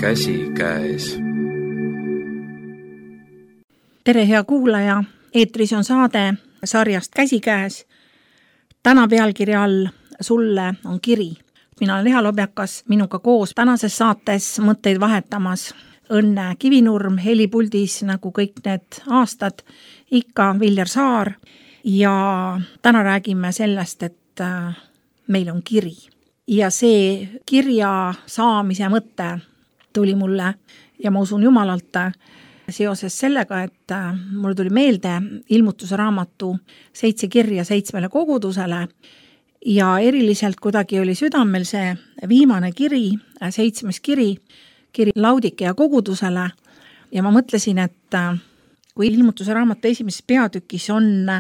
käsikäes. Tere, hea kuulaja! Eetris on saade sarjast Käsikäes. Täna pealkirja all Sulle on kiri. Mina olen Riha Lobjakas, minuga koos tänases saates mõtteid vahetamas Õnne Kivinurm, helipuldis nagu kõik need aastad, ikka Viljar Saar. Ja täna räägime sellest, et meil on kiri. Ja see kirja saamise mõte tuli mulle ja ma usun Jumalalt seoses sellega, et mulle tuli meelde ilmutuse raamatu 7 kirja 7 kogudusele ja eriliselt kuidagi oli südamel see viimane kiri, 7. kiri Laudikea kogudusele ja ma mõtlesin, et kui ilmutuse raamatu 1. peatükis on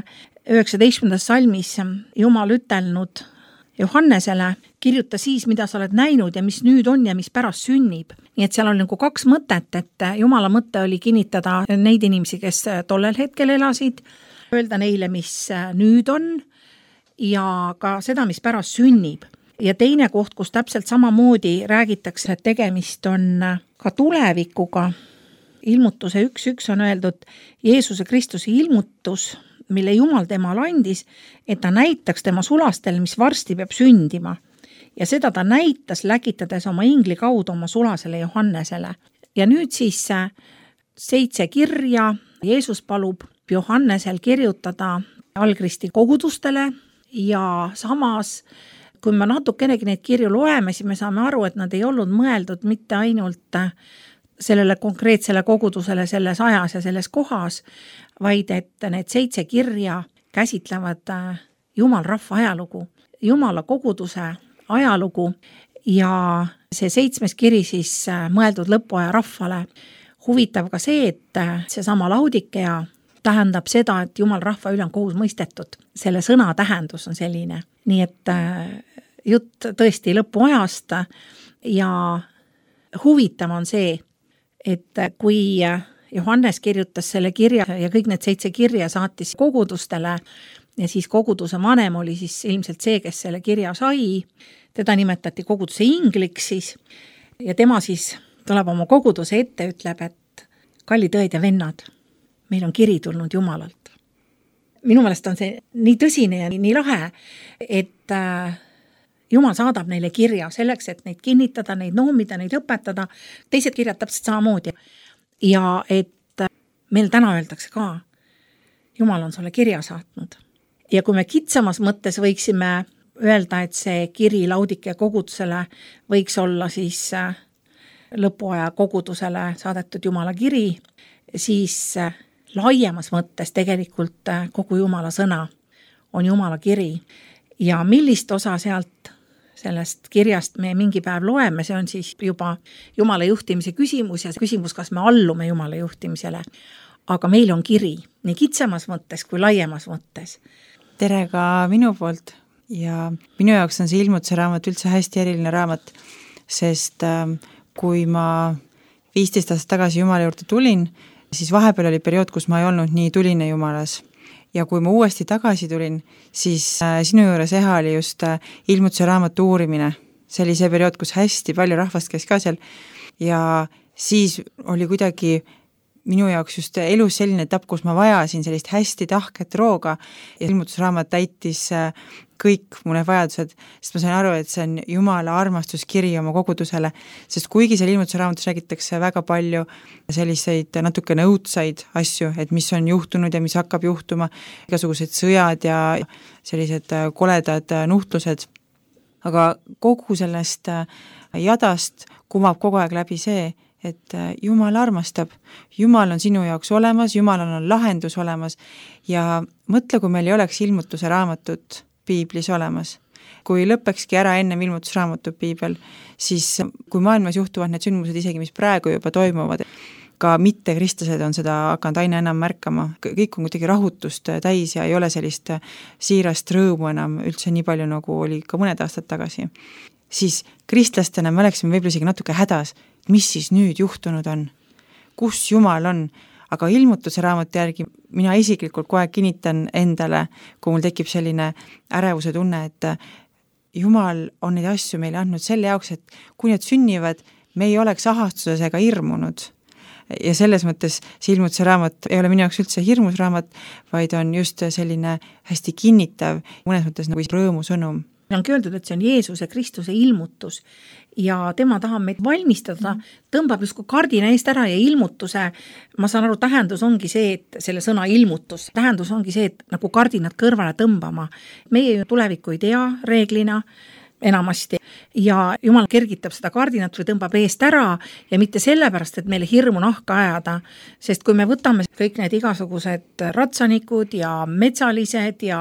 19. salmis Jumal ütelnud Johannesele, kirjuta siis, mida sa oled näinud ja mis nüüd on ja mis pärast sünnib. Nii et seal on nagu 2 mõtet, et Jumala mõte oli kinnitada neid inimesi, kes tollel hetkel elasid, öelda neile, mis nüüd on ja ka seda, mis pärast sünnib. Ja teine koht, kus täpselt samamoodi räägitakse, et tegemist on ka tulevikuga. Ilmutuse 1.1 on öeldud Jeesuse Kristuse ilmutus, mille Jumal temal andis, et ta näitaks tema sulastel, mis varsti peab sündima. Ja seda ta näitas, läkitades oma ingli kaudu oma sulasele Johannesele. Ja nüüd siis 7 kirja Jeesus palub Johannesel kirjutada algristi kogudustele ja samas, kui me natukenegi neid kirju loeme, siis me saame aru, et nad ei olnud mõeldud mitte ainult sellele konkreetsele kogudusele selles ajas ja selles kohas, vaid et need 7 kirja käsitlevad Jumal rahva ajalugu, Jumala koguduse ajalugu ja see 7. kiri siis mõeldud lõpuaja rahvale. Huvitav ka see, et seesama Laudikea tähendab seda, et Jumal rahva üle on kohus mõistetud. Selle sõna tähendus on selline. Nii et jutt tõesti lõpuajast ja huvitav on see, et kui Johannes kirjutas selle kirja ja kõik need 7 kirja saatis kogudustele ja siis koguduse vanem oli siis ilmselt see, kes selle kirja sai, teda nimetati koguduse ingliks siis ja tema siis tuleb oma koguduse ette, ütleb, et kallid õed ja vennad, meil on kiri tulnud Jumalalt. Minu meelest on see nii tõsine ja nii lahe, et Jumal saadab neile kirja selleks, et neid kinnitada, neid noomida, neid õpetada. Teised kirjad täpselt samamoodi. Ja et meil täna öeldakse ka, Jumal on sulle kirja saatnud. Ja kui me kitsamas mõttes võiksime öelda, et see kiri Laudikea kogudusele võiks olla siis lõpuaja kogudusele saadetud Jumala kiri, siis laiemas mõttes tegelikult kogu Jumala sõna on Jumala kiri. Ja millist osa sealt sellest kirjast me mingi päev loeme, see on siis juba Jumala juhtimise küsimus ja küsimus, kas me allume Jumala juhtimisele. Aga meil on kiri nii kitsamas mõttes kui laiemas mõttes. Tere ka minu poolt ja minu jaoks on see ilmutuse raamat üldse hästi eriline raamat, sest kui ma 15 aastat tagasi Jumala juurde tulin, siis vahepeal oli periood, kus ma ei olnud nii tuline Jumalas. Ja kui ma uuesti tagasi tulin, siis sinu juures Eha oli just ilmutuse raamatu uurimine. See oli see periood, kus hästi palju rahvast käis ka seal ja siis oli kuidagi minu jaoks just elus selline etapp, kus ma vajasin sellist hästi tahket rooga ja ilmutusraamat täitis kõik mu need vajadused, sest ma sain aru, et see on Jumala armastuskiri oma kogudusele, sest kuigi seal ilmutusraamatus räägitakse väga palju selliseid natukene õudsaid asju, et mis on juhtunud ja mis hakkab juhtuma, igasugused sõjad ja sellised koledad nuhtlused, aga kogu sellest jadast kumab kogu aeg läbi see, et Jumal armastab, Jumal on sinu jaoks olemas, Jumalal on lahendus olemas ja mõtle, kui meil ei oleks ilmutuse raamatut piiblis olemas. Kui lõpekski ära ennem ilmutusraamatut piibel, siis kui maailmas juhtuvad need sündmused isegi, mis praegu juba toimuvad, ka mitte kristlased on seda hakanud aina enam märkama, kõik on kuidagi rahutust täis ja ei ole sellist siirast rõõmu enam üldse nii palju, nagu oli ka mõned aastad tagasi. Siis kristlastena me oleksime võib-olla isegi natuke hädas, mis siis nüüd juhtunud on, kus Jumal on, aga ilmutuse raamatu järgi mina isiklikult kogu aeg kinnitan endale, kui mul tekib selline ärevuse tunne, et Jumal on neid asju meile andnud selle jaoks, et kui need sünnivad, me ei oleks ahastuses ega hirmunud. Ja selles mõttes see ilmutuse raamat ei ole minu jaoks üldse hirmus raamat, vaid on just selline hästi kinnitav, mõnes mõttes nagu rõõmusõnum. Ongi öeldud, et see on Jeesuse Kristuse ilmutus ja tema tahab meid valmistada, tõmbab justkui kardina eest ära ja ilmutuse, ma saan aru, tähendus ongi see, et selle sõna ilmutus, tähendus ongi see, et nagu kardinad kõrvale tõmbama. Meie ju tulevikku ei tea reeglina, enamasti ja Jumal kergitab seda kardinat või tõmbab eest ära ja mitte sellepärast, et meile hirmu nahka ajada, sest kui me võtame kõik need igasugused ratsanikud ja metsalised ja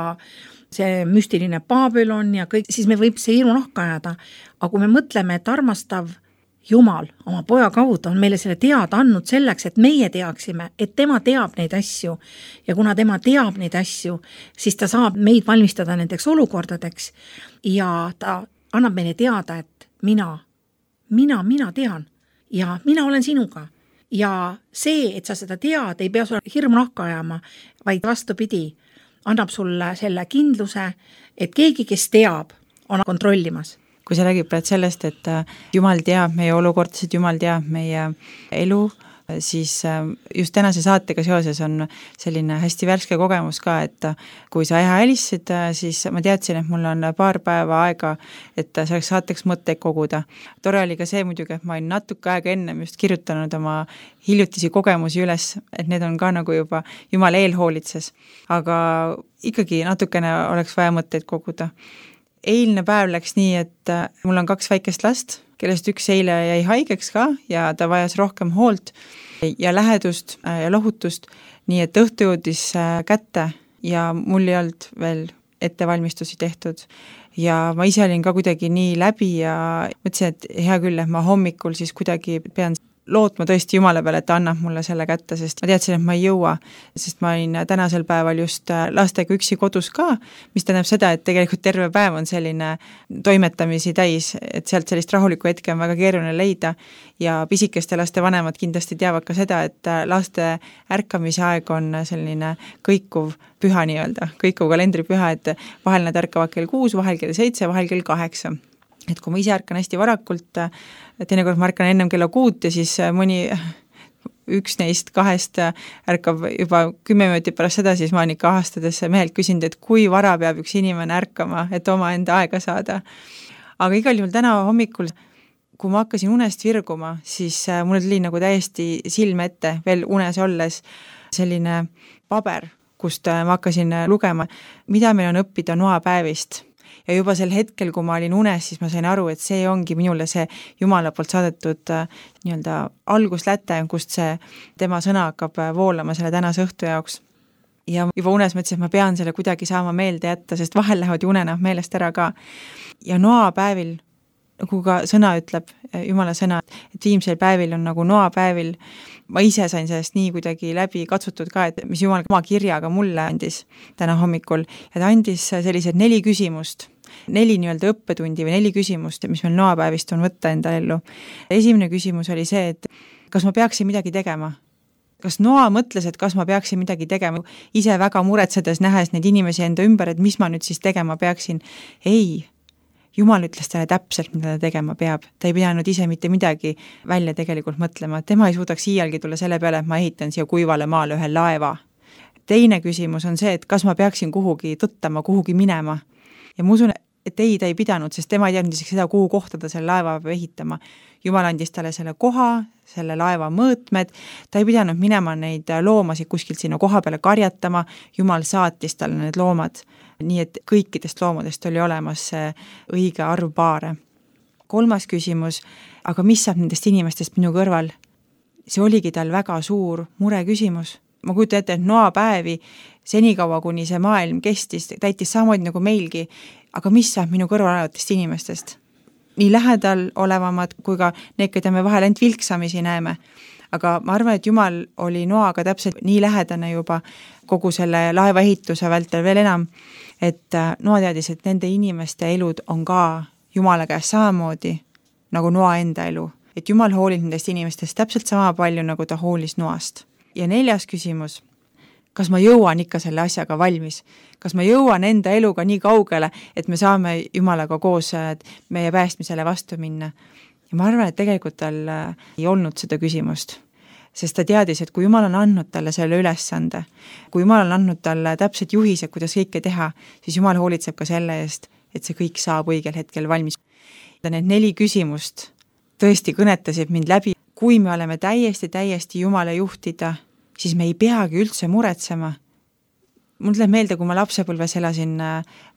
see müstiline Babylon ja kõik, siis me võib see hirmu nahka ajada, aga kui me mõtleme, et armastav Jumal oma poja kaudu on meile selle teada andnud selleks, et meie teaksime, et tema teab neid asju ja kuna tema teab neid asju, siis ta saab meid valmistada nendeks olukordadeks ja ta annab meile teada, et mina tean ja mina olen sinuga. Ja see, et sa seda tead, ei pea sulle hirmu nahka ajama, vaid vastupidi, annab sulle selle kindluse, et keegi, kes teab, on kontrollimas. Kui sa räägid praegu sellest, et Jumal teab meie olukordasid, Jumal teab meie elu, siis just tänase saatega seoses on selline hästi värske kogemus ka, et kui sa helistasid, siis ma teadsin, et mul on paar päeva aega, et selleks saateks mõtteid koguda. Tore oli ka see muidugi, et ma olin natuke aega ennem just kirjutanud oma hiljutisi kogemusi üles, et need on ka nagu juba Jumal eelhoolitses, aga ikkagi natukene oleks vaja mõtteid koguda. Eilne päev läks nii, et mul on 2 väikest last, kellest üks eile jäi haigeks ka ja ta vajas rohkem hoolt ja lähedust ja lohutust, nii et õhtu jõudis kätte ja mul ei olnud veel ettevalmistusi tehtud. Ja ma ise olin ka kuidagi nii läbi ja mõtlesin, et hea küll, et ma hommikul siis kuidagi pean lootma tõesti Jumala peale, et ta annab mulle selle kätte, sest ma teadsin, et ma ei jõua, sest ma olin tänasel päeval just lastega üksi kodus ka, mis tähendab seda, et tegelikult terve päev on selline toimetamisi täis, et sealt sellist rahulikku hetke on väga keeruline leida ja pisikeste laste vanemad kindlasti teavad ka seda, et laste ärkamise aeg on selline kõikuv püha nii-öelda, kõikuv kalendripüha, et vahel nad ärkavad kell 6, vahel kell 7, vahel kell 8. Et kui ma ise ärkan hästi varakult, teinekord ma ärkan ennem kella 6 ja siis mõni üks neist 2 ärkab juba 10 minutit pärast seda, siis ma olen ikka ahastades mehelt küsinud, et kui vara peab üks inimene ärkama, et oma enda aega saada. Aga igal juhul täna hommikul, kui ma hakkasin unest virguma, siis mul tuli nagu täiesti silme ette veel unes olles selline paber, kust ma hakkasin lugema, mida meil on õppida noapäevist. Ja juba sel hetkel, kui ma olin unes, siis ma sain aru, et see ongi minule see Jumala poolt saadetud nii-öelda algusläte, kust see tema sõna hakkab voolama selle tänase õhtu jaoks. Ja juba unes mõtlesin, et ma pean selle kuidagi saama meelde jätta, sest vahel lähevad unenäod meelest ära ka. Ja noapäevil, nagu ka sõna ütleb, Jumala sõna, et viimsel päevil on nagu noapäevil, ma ise sain sellest nii kuidagi läbi katsutud ka, et mis Jumal oma kirjaga mulle andis täna hommikul, ja ta andis sellised 4 küsimust, 4 nii-öelda õppetundi või 4 küsimust, mis meil noapäevist on võtta enda ellu. Esimene küsimus oli see, et kas ma peaksin midagi tegema? Kas Noa mõtles, et kas ma peaksin midagi tegema? Ise väga muretsedes nähes neid inimesi enda ümber, et mis ma nüüd siis tegema peaksin? Ei, Jumal ütles talle täpselt, mida ta tegema peab. Ta ei pidanud ise mitte midagi välja tegelikult mõtlema. Tema ei suudaks iialgi tulla selle peale, et ma ehitan siia kuivale maale ühe laeva. Teine küsimus on see, et kas ma peaksin kuhugi tõttama, kuhugi minema. Ja ma usun, et ei, ta ei pidanud, sest tema ei teadnud isegi seda, kuhu kohta ta selle laeva peab ehitama. Jumal andis talle selle koha, selle laeva mõõtmed, ta ei pidanud minema neid loomasid kuskilt sinna koha peale karjatama, Jumal saatis talle need loomad, nii et kõikidest loomadest oli olemas õige arv paare. 3. küsimus, aga mis saab nendest inimestest minu kõrval? See oligi tal väga suur mure küsimus. Ma kujutan ette, et noapäevi senikaua, kuni see maailm kestis, täitis samamoodi nagu meilgi, aga mis saab minu kõrval olevatest inimestest? Nii lähedal olevamad kui ka need, keda me vahel ainult vilksamisi näeme. Aga ma arvan, et Jumal oli Noaga täpselt nii lähedane juba kogu selle laeva ehituse vältel veel enam, et Noa teadis, et nende inimeste elud on ka Jumala käes samamoodi nagu Noa enda elu. Et Jumal hoolib nendest inimestest täpselt sama palju, nagu ta hoolis Noast. Ja 4. küsimus, kas ma jõuan ikka selle asjaga valmis? Kas ma jõuan enda eluga nii kaugele, et me saame Jumalaga koos meie päästmisele vastu minna? ja ma arvan, et tegelikult tal ei olnud seda küsimust, sest ta teadis, et kui Jumal on andnud talle selle ülesande, kui Jumal on andnud talle täpsed juhised, kuidas kõike teha, siis Jumal hoolitseb ka selle eest, et see kõik saab õigel hetkel valmis. Need 4 küsimust tõesti kõnetasid mind läbi. Kui me oleme täiesti Jumala juhtida, siis me ei peagi üldse muretsema. Mul tuleb meelde, kui ma lapsepõlves elasin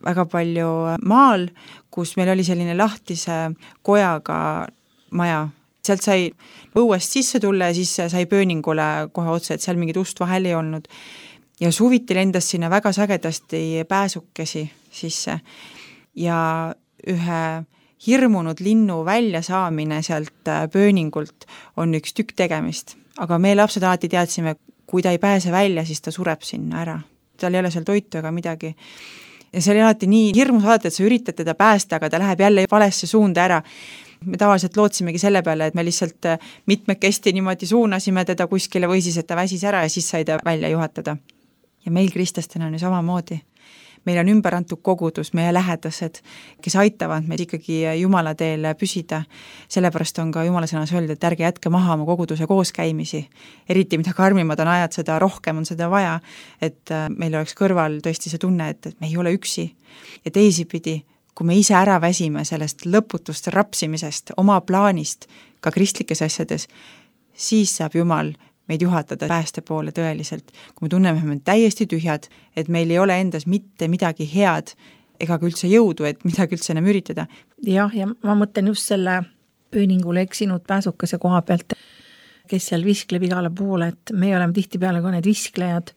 väga palju maal, kus meil oli selline lahtise kojaga maja. Sealt sai õuest sisse tulla ja siis sai pööningule kohe otse, et seal mingit ust vahel ei olnud. Ja suviti lendas sinna väga sagedasti pääsukesi sisse. Ja ühe hirmunud linnu välja saamine sealt pööningult on üks tükk tegemist. Aga me lapsed alati teadsime, kui ta ei pääse välja, siis ta sureb sinna ära. Tal ei ole seal toitu ega midagi. Ja see oli alati nii hirmus alati, et sa üritad teda päästa, aga ta läheb jälle valesse suunda ära. Me tavaliselt lootsimegi selle peale, et me lihtsalt mitmekesti niimoodi suunasime teda kuskile või siis, et ta väsis ära ja siis sai ta välja juhatada. Ja meil kristlastena on ju samamoodi. Meil on ümber antud kogudus, meie lähedased, kes aitavad meid ikkagi Jumala teel püsida. Sellepärast on ka Jumala sõnas öeldud, et ärge jätke maha oma koguduse kooskäimisi. Eriti mida karmimad on ajad, seda rohkem on seda vaja, et meil oleks kõrval tõesti see tunne, et me ei ole üksi. Ja teisipidi, kui me ise ära väsime sellest lõputust rapsimisest, oma plaanist, ka kristlikes asjades, siis saab Jumal meid juhatada pääste poole tõeliselt. Kui me tunneme, et me täiesti tühjad, et meil ei ole endas mitte midagi head ega ka üldse jõudu, et midagi üldse enam üritada. Jah, ja ma mõtlen just selle pööningule eksinud pääsukese koha pealt, kes seal viskleb igale poole, et me oleme tihtipeale ka need visklejad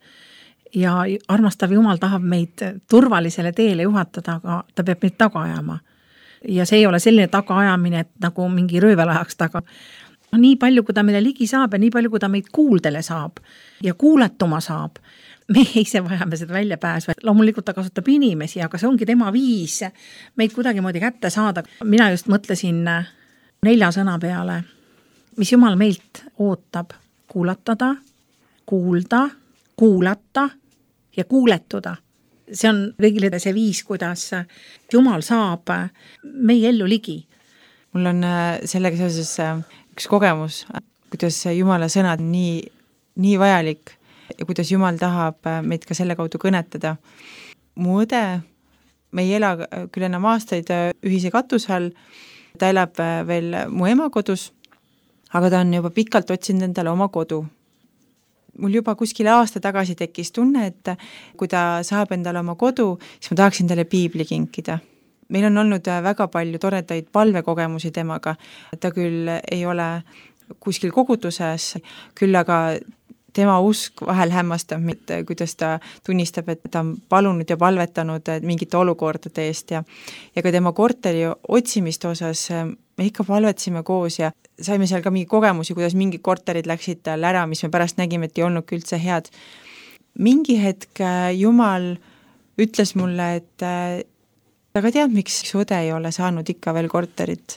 ja armastav Jumal tahab meid turvalisele teele juhatada, aga ta peab meid taga ajama. Ja see ei ole selline taga ajamine, et nagu mingi röövel ajaks taga. Nii palju, kui ta meile ligi saab ja nii palju, kui ta meid kuuldele saab ja kuuletuma saab, me ise vajame seda välja pääsu. Loomulikult ta kasutab inimesi, aga see ongi tema viis meid kuidagi moodi kätte saada. Mina just mõtlesin 4 sõna peale, mis Jumal meilt ootab: kuulatada, kuulda, kuulata ja kuuletuda. See on kõigile see viis, kuidas Jumal saab meie ellu ligi. Mul on sellega seoses üks kogemus, kuidas Jumala sõnad nii vajalik ja kuidas Jumal tahab meid ka selle kaudu kõnetada. Mu õde, me ei ela küll enam aastaid ühise katuse all, ta elab veel mu ema kodus, aga ta on juba pikalt otsinud endale oma kodu. Mul juba kuskil aasta tagasi tekkis tunne, et kui ta saab endale oma kodu, siis ma tahaksin talle piibli kinkida. Meil on olnud väga palju toredaid palvekogemusi temaga. Ta küll ei ole kuskil koguduses, küll aga tema usk vahel hämmastab, kuidas ta tunnistab, et ta on palunud ja palvetanud mingite olukordade eest ja ka tema korteri otsimiste osas me ikka palvetasime koos ja saime seal ka mingi kogemusi, kuidas mingid korterid läksid tal ära, mis me pärast nägime, et ei olnud üldse head. Mingi hetk Jumal ütles mulle, et aga tead, miks su õde ei ole saanud ikka veel korterit?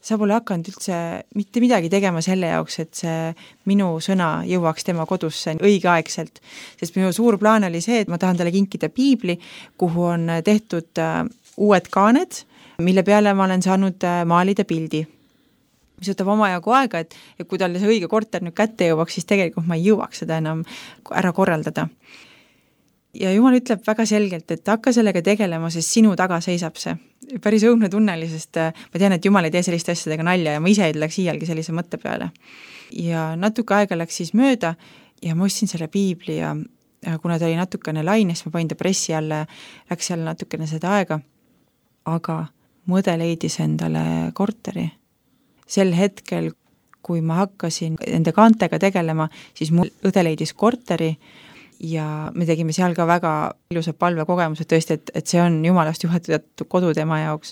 Sa pole hakanud üldse mitte midagi tegema selle jaoks, et see minu sõna jõuaks tema kodusse õigeaegselt. Sest minu suur plaan oli see, et ma tahan talle kinkida piibli, kuhu on tehtud uued kaaned, mille peale ma olen saanud maalida pildi. Mis võtab omajagu aega, et kui talle see õige korter nüüd kätte jõuaks, siis tegelikult ma ei jõuaks seda enam ära korraldada. Ja Jumal ütleb väga selgelt, et hakka sellega tegelema, sest sinu taga seisab see. Päris õudne tunneli, sest ma tean, et Jumal ei tee selliste asjadega nalja ja ma ise ei läks iialgi sellise mõtte peale. Ja natuke aega läks siis mööda ja ma ostsin selle piibli ja kuna ta oli natukene laines, ma panin ta pressi alla, läks seal natukene seda aega, aga mõde leidis endale korteri. Sel hetkel, kui ma hakkasin enda kaantega tegelema, siis mul õde leidis korteri ja me tegime seal ka väga ilusad palvekogemused tõesti, et see on Jumalast juhatatud kodu tema jaoks.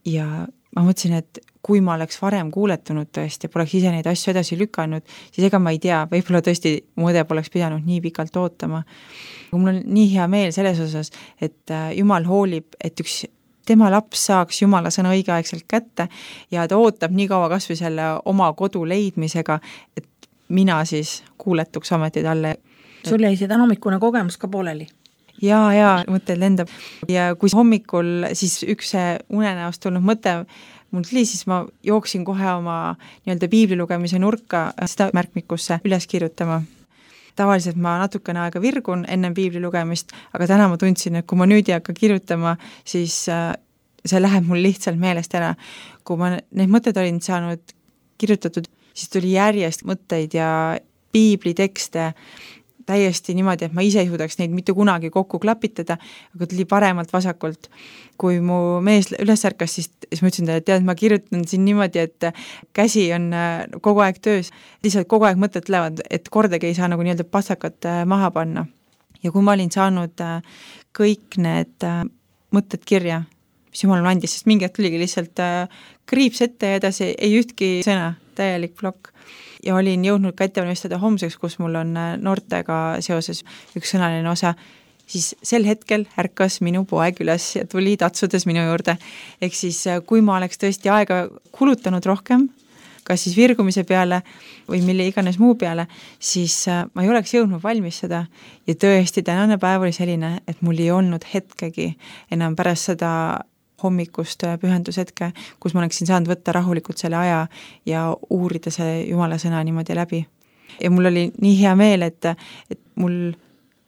Ja ma mõtlesin, et kui ma oleks varem kuuletunud tõesti ja poleks ise neid asju edasi lükanud, siis ega ma ei tea, võib-olla tõesti mu õde poleks pidanud nii pikalt ootama. Mul on nii hea meel selles osas, et Jumal hoolib, et üks tema laps saaks Jumala sõna õigeaegselt kätte ja ta ootab nii kaua kas või selle oma kodu leidmisega, et mina siis kuuletuks ameti talle. Sul jäi see tänahommikune kogemus ka pooleli? Ja mõtted lendab. Ja kui hommikul siis üks unenäost tulnud mõte mul tuli, siis ma jooksin kohe oma nii-öelda piibli lugemise nurka seda märkmikusse üles kirjutama. Tavaliselt ma natukene aega virgun enne piibli lugemist, aga täna ma tundsin, et kui ma nüüd ei hakka kirjutama, siis see läheb mul lihtsalt meelest ära. Kui ma need mõtted olin saanud kirjutatud, siis tuli järjest mõtteid ja piiblitekste täiesti niimoodi, et ma ise ei suudaks neid mitte kunagi kokku klapitada, aga tuli paremalt vasakult. Kui mu mees üles ärkas, siis ma ütlesin talle, et tead, ma kirjutan siin niimoodi, et käsi on kogu aeg töös, lihtsalt kogu aeg mõtted tulevad, et kordagi ei saa nagu nii-öelda pastakat maha panna. Ja kui ma olin saanud kõik need mõtted kirja, mis jumal andis, sest mingi hetk tuligi lihtsalt kriips ette ja edasi ei ühtki sõna, täielik plokk. Ja olin jõudnud ka ettevalmistada homseks, kus mul on noortega seoses üks sõnaline osa, siis sel hetkel ärkas minu poeg üles ja tuli tatsudes minu juurde. Ehk siis, kui ma oleks tõesti aega kulutanud rohkem, kas siis virgumise peale või mille iganes muu peale, siis ma ei oleks jõudnud valmis seda. Ja tõesti, tänane päev oli selline, et mul ei olnud hetkegi enam pärast seda hommikust pühendushetke, kus ma oleksin saanud võtta rahulikult selle aja ja uurida see Jumala sõna niimoodi läbi. Ja mul oli nii hea meel, et mul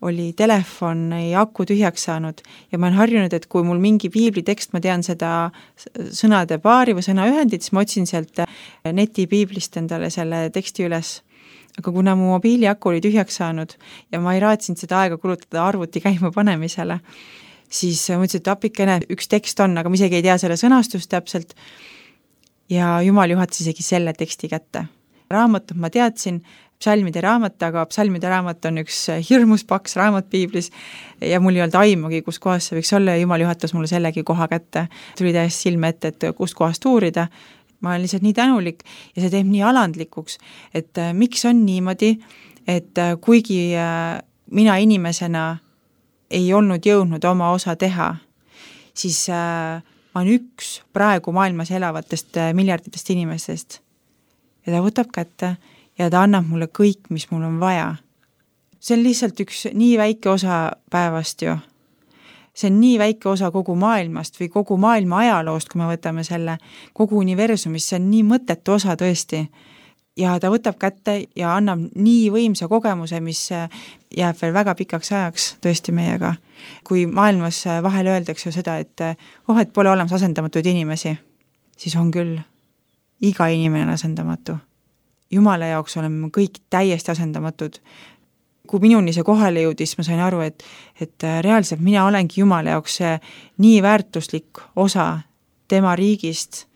oli telefoni aku tühjaks saanud ja ma olen harjunud, et kui mul mingi piiblitekst, ma tean seda sõnade paari või sõnaühendit, siis ma otsin sealt netipiiblist endale selle teksti üles. Aga kuna mu mobiili aku oli tühjaks saanud ja ma ei raatsinud seda aega kulutada arvuti käima panemisele, siis mõtlesin, et apikene üks tekst on, aga ma isegi ei tea selle sõnastust täpselt ja Jumal juhatas isegi selle teksti kätte. Raamatut ma teadsin, psalmide raamat, aga psalmide raamat on üks hirmus paks raamat piiblis ja mul ei olnud aimugi, kus kohas see võiks olla ja Jumal juhatas mulle sellegi koha kätte. Tuli täiesti silme ette, et kust kohast uurida. Ma olen lihtsalt nii tänulik ja see teeb nii alandlikuks, et miks on niimoodi, et kuigi mina inimesena ei olnud jõudnud oma osa teha, siis ma olen üks praegu maailmas elavatest miljarditest inimestest. Ja ta võtab kätte ja ta annab mulle kõik, mis mul on vaja. See on lihtsalt üks nii väike osa päevast ju. See on nii väike osa kogu maailmast või kogu maailma ajaloost, kui me võtame selle kogu universumist, see on nii mõttetu osa tõesti. Ja ta võtab kätte ja annab nii võimsa kogemuse, mis jääb veel väga pikaks ajaks tõesti meiega. Kui maailmas vahel öeldakse seda, et pole olemas asendamatuid inimesi, siis on küll. Iga inimene on asendamatu. Jumala jaoks oleme kõik täiesti asendamatud. Kui minuni see kohale jõudis, ma sain aru, et reaalselt mina olengi Jumala jaoks nii väärtuslik osa tema riigist,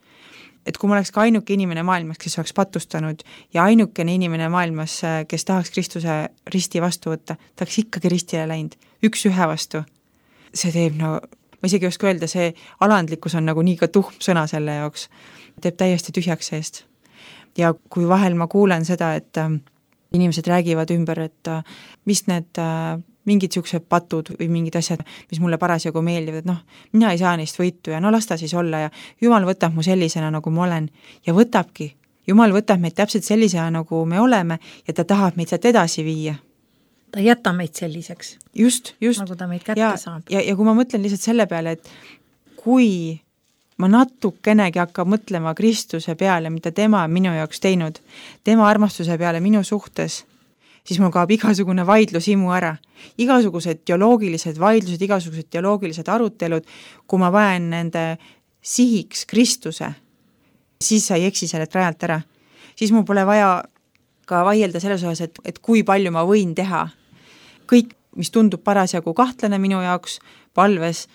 et kui ma oleks ka ainuke inimene maailmas, kes oleks patustanud ja ainukene inimene maailmas, kes tahaks Kristuse risti vastu võtta, ta oleks ikkagi ristile läinud, üks ühe vastu. See teeb, ma isegi ei oska öelda, see alandlikkus on nagu nii ka tuhm sõna selle jaoks, teeb täiesti tühjaks seest. Ja kui vahel ma kuulen seda, et inimesed räägivad ümber, et mis need mingid siuksed patud või mingid asjad, mis mulle parasjagu meeldivad, et mina ei saa neist võitu ja las ta siis olla ja Jumal võtab mu sellisena, nagu ma olen ja võtabki. Jumal võtab meid täpselt sellisena, nagu me oleme ja ta tahab meid sealt edasi viia. Ta jätta meid selliseks. Just. Nagu ta meid kätte saab. Ja kui ma mõtlen lihtsalt selle peale, et kui ma natukenegi hakkab mõtlema Kristuse peale, mida tema on minu jaoks teinud, tema armastuse peale minu suhtes, siis mul kaob igasugune vaidlusimu ära. Igasugused teoloogilised vaidlused, igasugused teoloogilised arutelud, kui ma vajan nende sihiks Kristuse, siis sa ei eksi sellelt rajalt ära. Siis mul pole vaja ka vaielda selles osas, et kui palju ma võin teha. Kõik, mis tundub parasjagu kahtlane minu jaoks palves,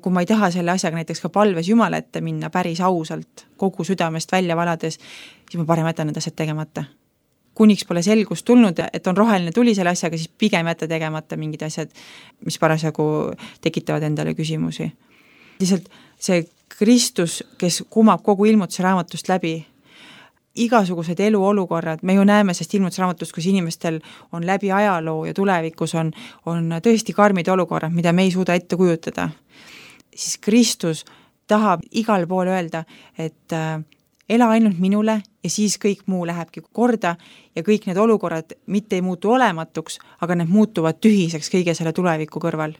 kui ma ei taha selle asjaga näiteks ka palves Jumala ette minna päris ausalt, kogu südamest välja valades, siis ma parem jätan need asjad tegemata. Kuniks pole selgust tulnud, et on roheline tuli selle asjaga, siis pigem jätta tegemata mingid asjad, mis parasjagu tekitavad endale küsimusi. Lihtsalt see Kristus, kes kumab kogu ilmutuse raamatust läbi, igasugused eluolukorrad, me ju näeme sest ilmutuse raamatust, kus inimestel on läbi ajaloo ja tulevikus on tõesti karmid olukorrad, mida me ei suuda ette kujutada. Siis Kristus tahab igal pool öelda, et ela ainult minule ja siis kõik muu lähebki korda ja kõik need olukorrad mitte ei muutu olematuks, aga need muutuvad tühiseks kõige selle tuleviku kõrval.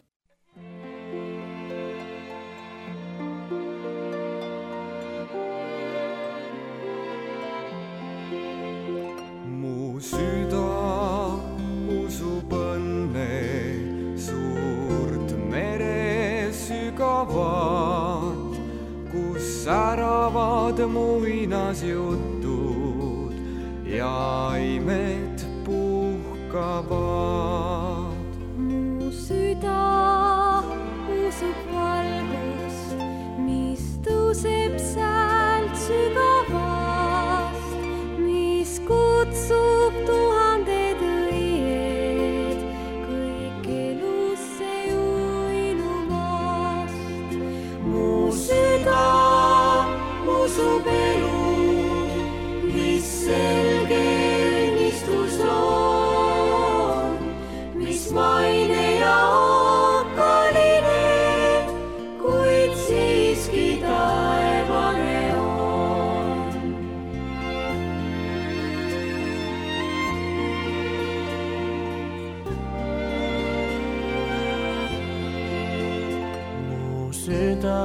säravad muinasjutud ja imed puhkavad. Mu süda usub valgust, mis tõuseb säält sügavast, mis kutsub tuhanded õied kõik elusse uinumast. Mu süda usub elu, mis selge õnnistus on, mis maine ja okkaline, kuid siiski taevane on. Mu süda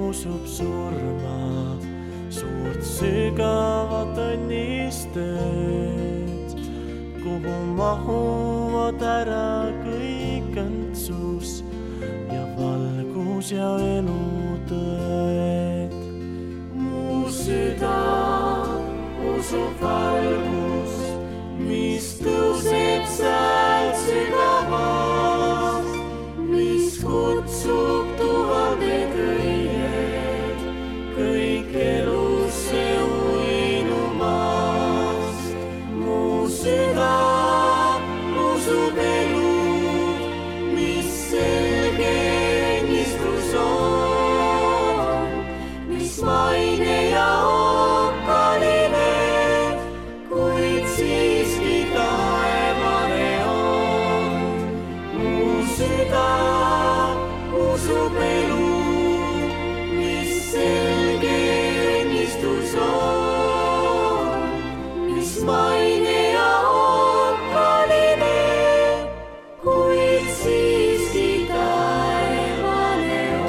usub surma, suurt sügavat õnnistet, kuhu mahuvad ära kõik õndsus ja valgus ja elutõed. Mu süda usub valgust, mis tõuseb säält sügavast, mis kutsub tuhanded õied kõik elusse uinumast. Mu süda usub elu, mis selge õnnistus on, mis maine ja okkaline, kuid siiski taevane on. Mu süda usub elu, mis selge õnnistus on, mis maine ja okkaline, kuid siiski taevane on.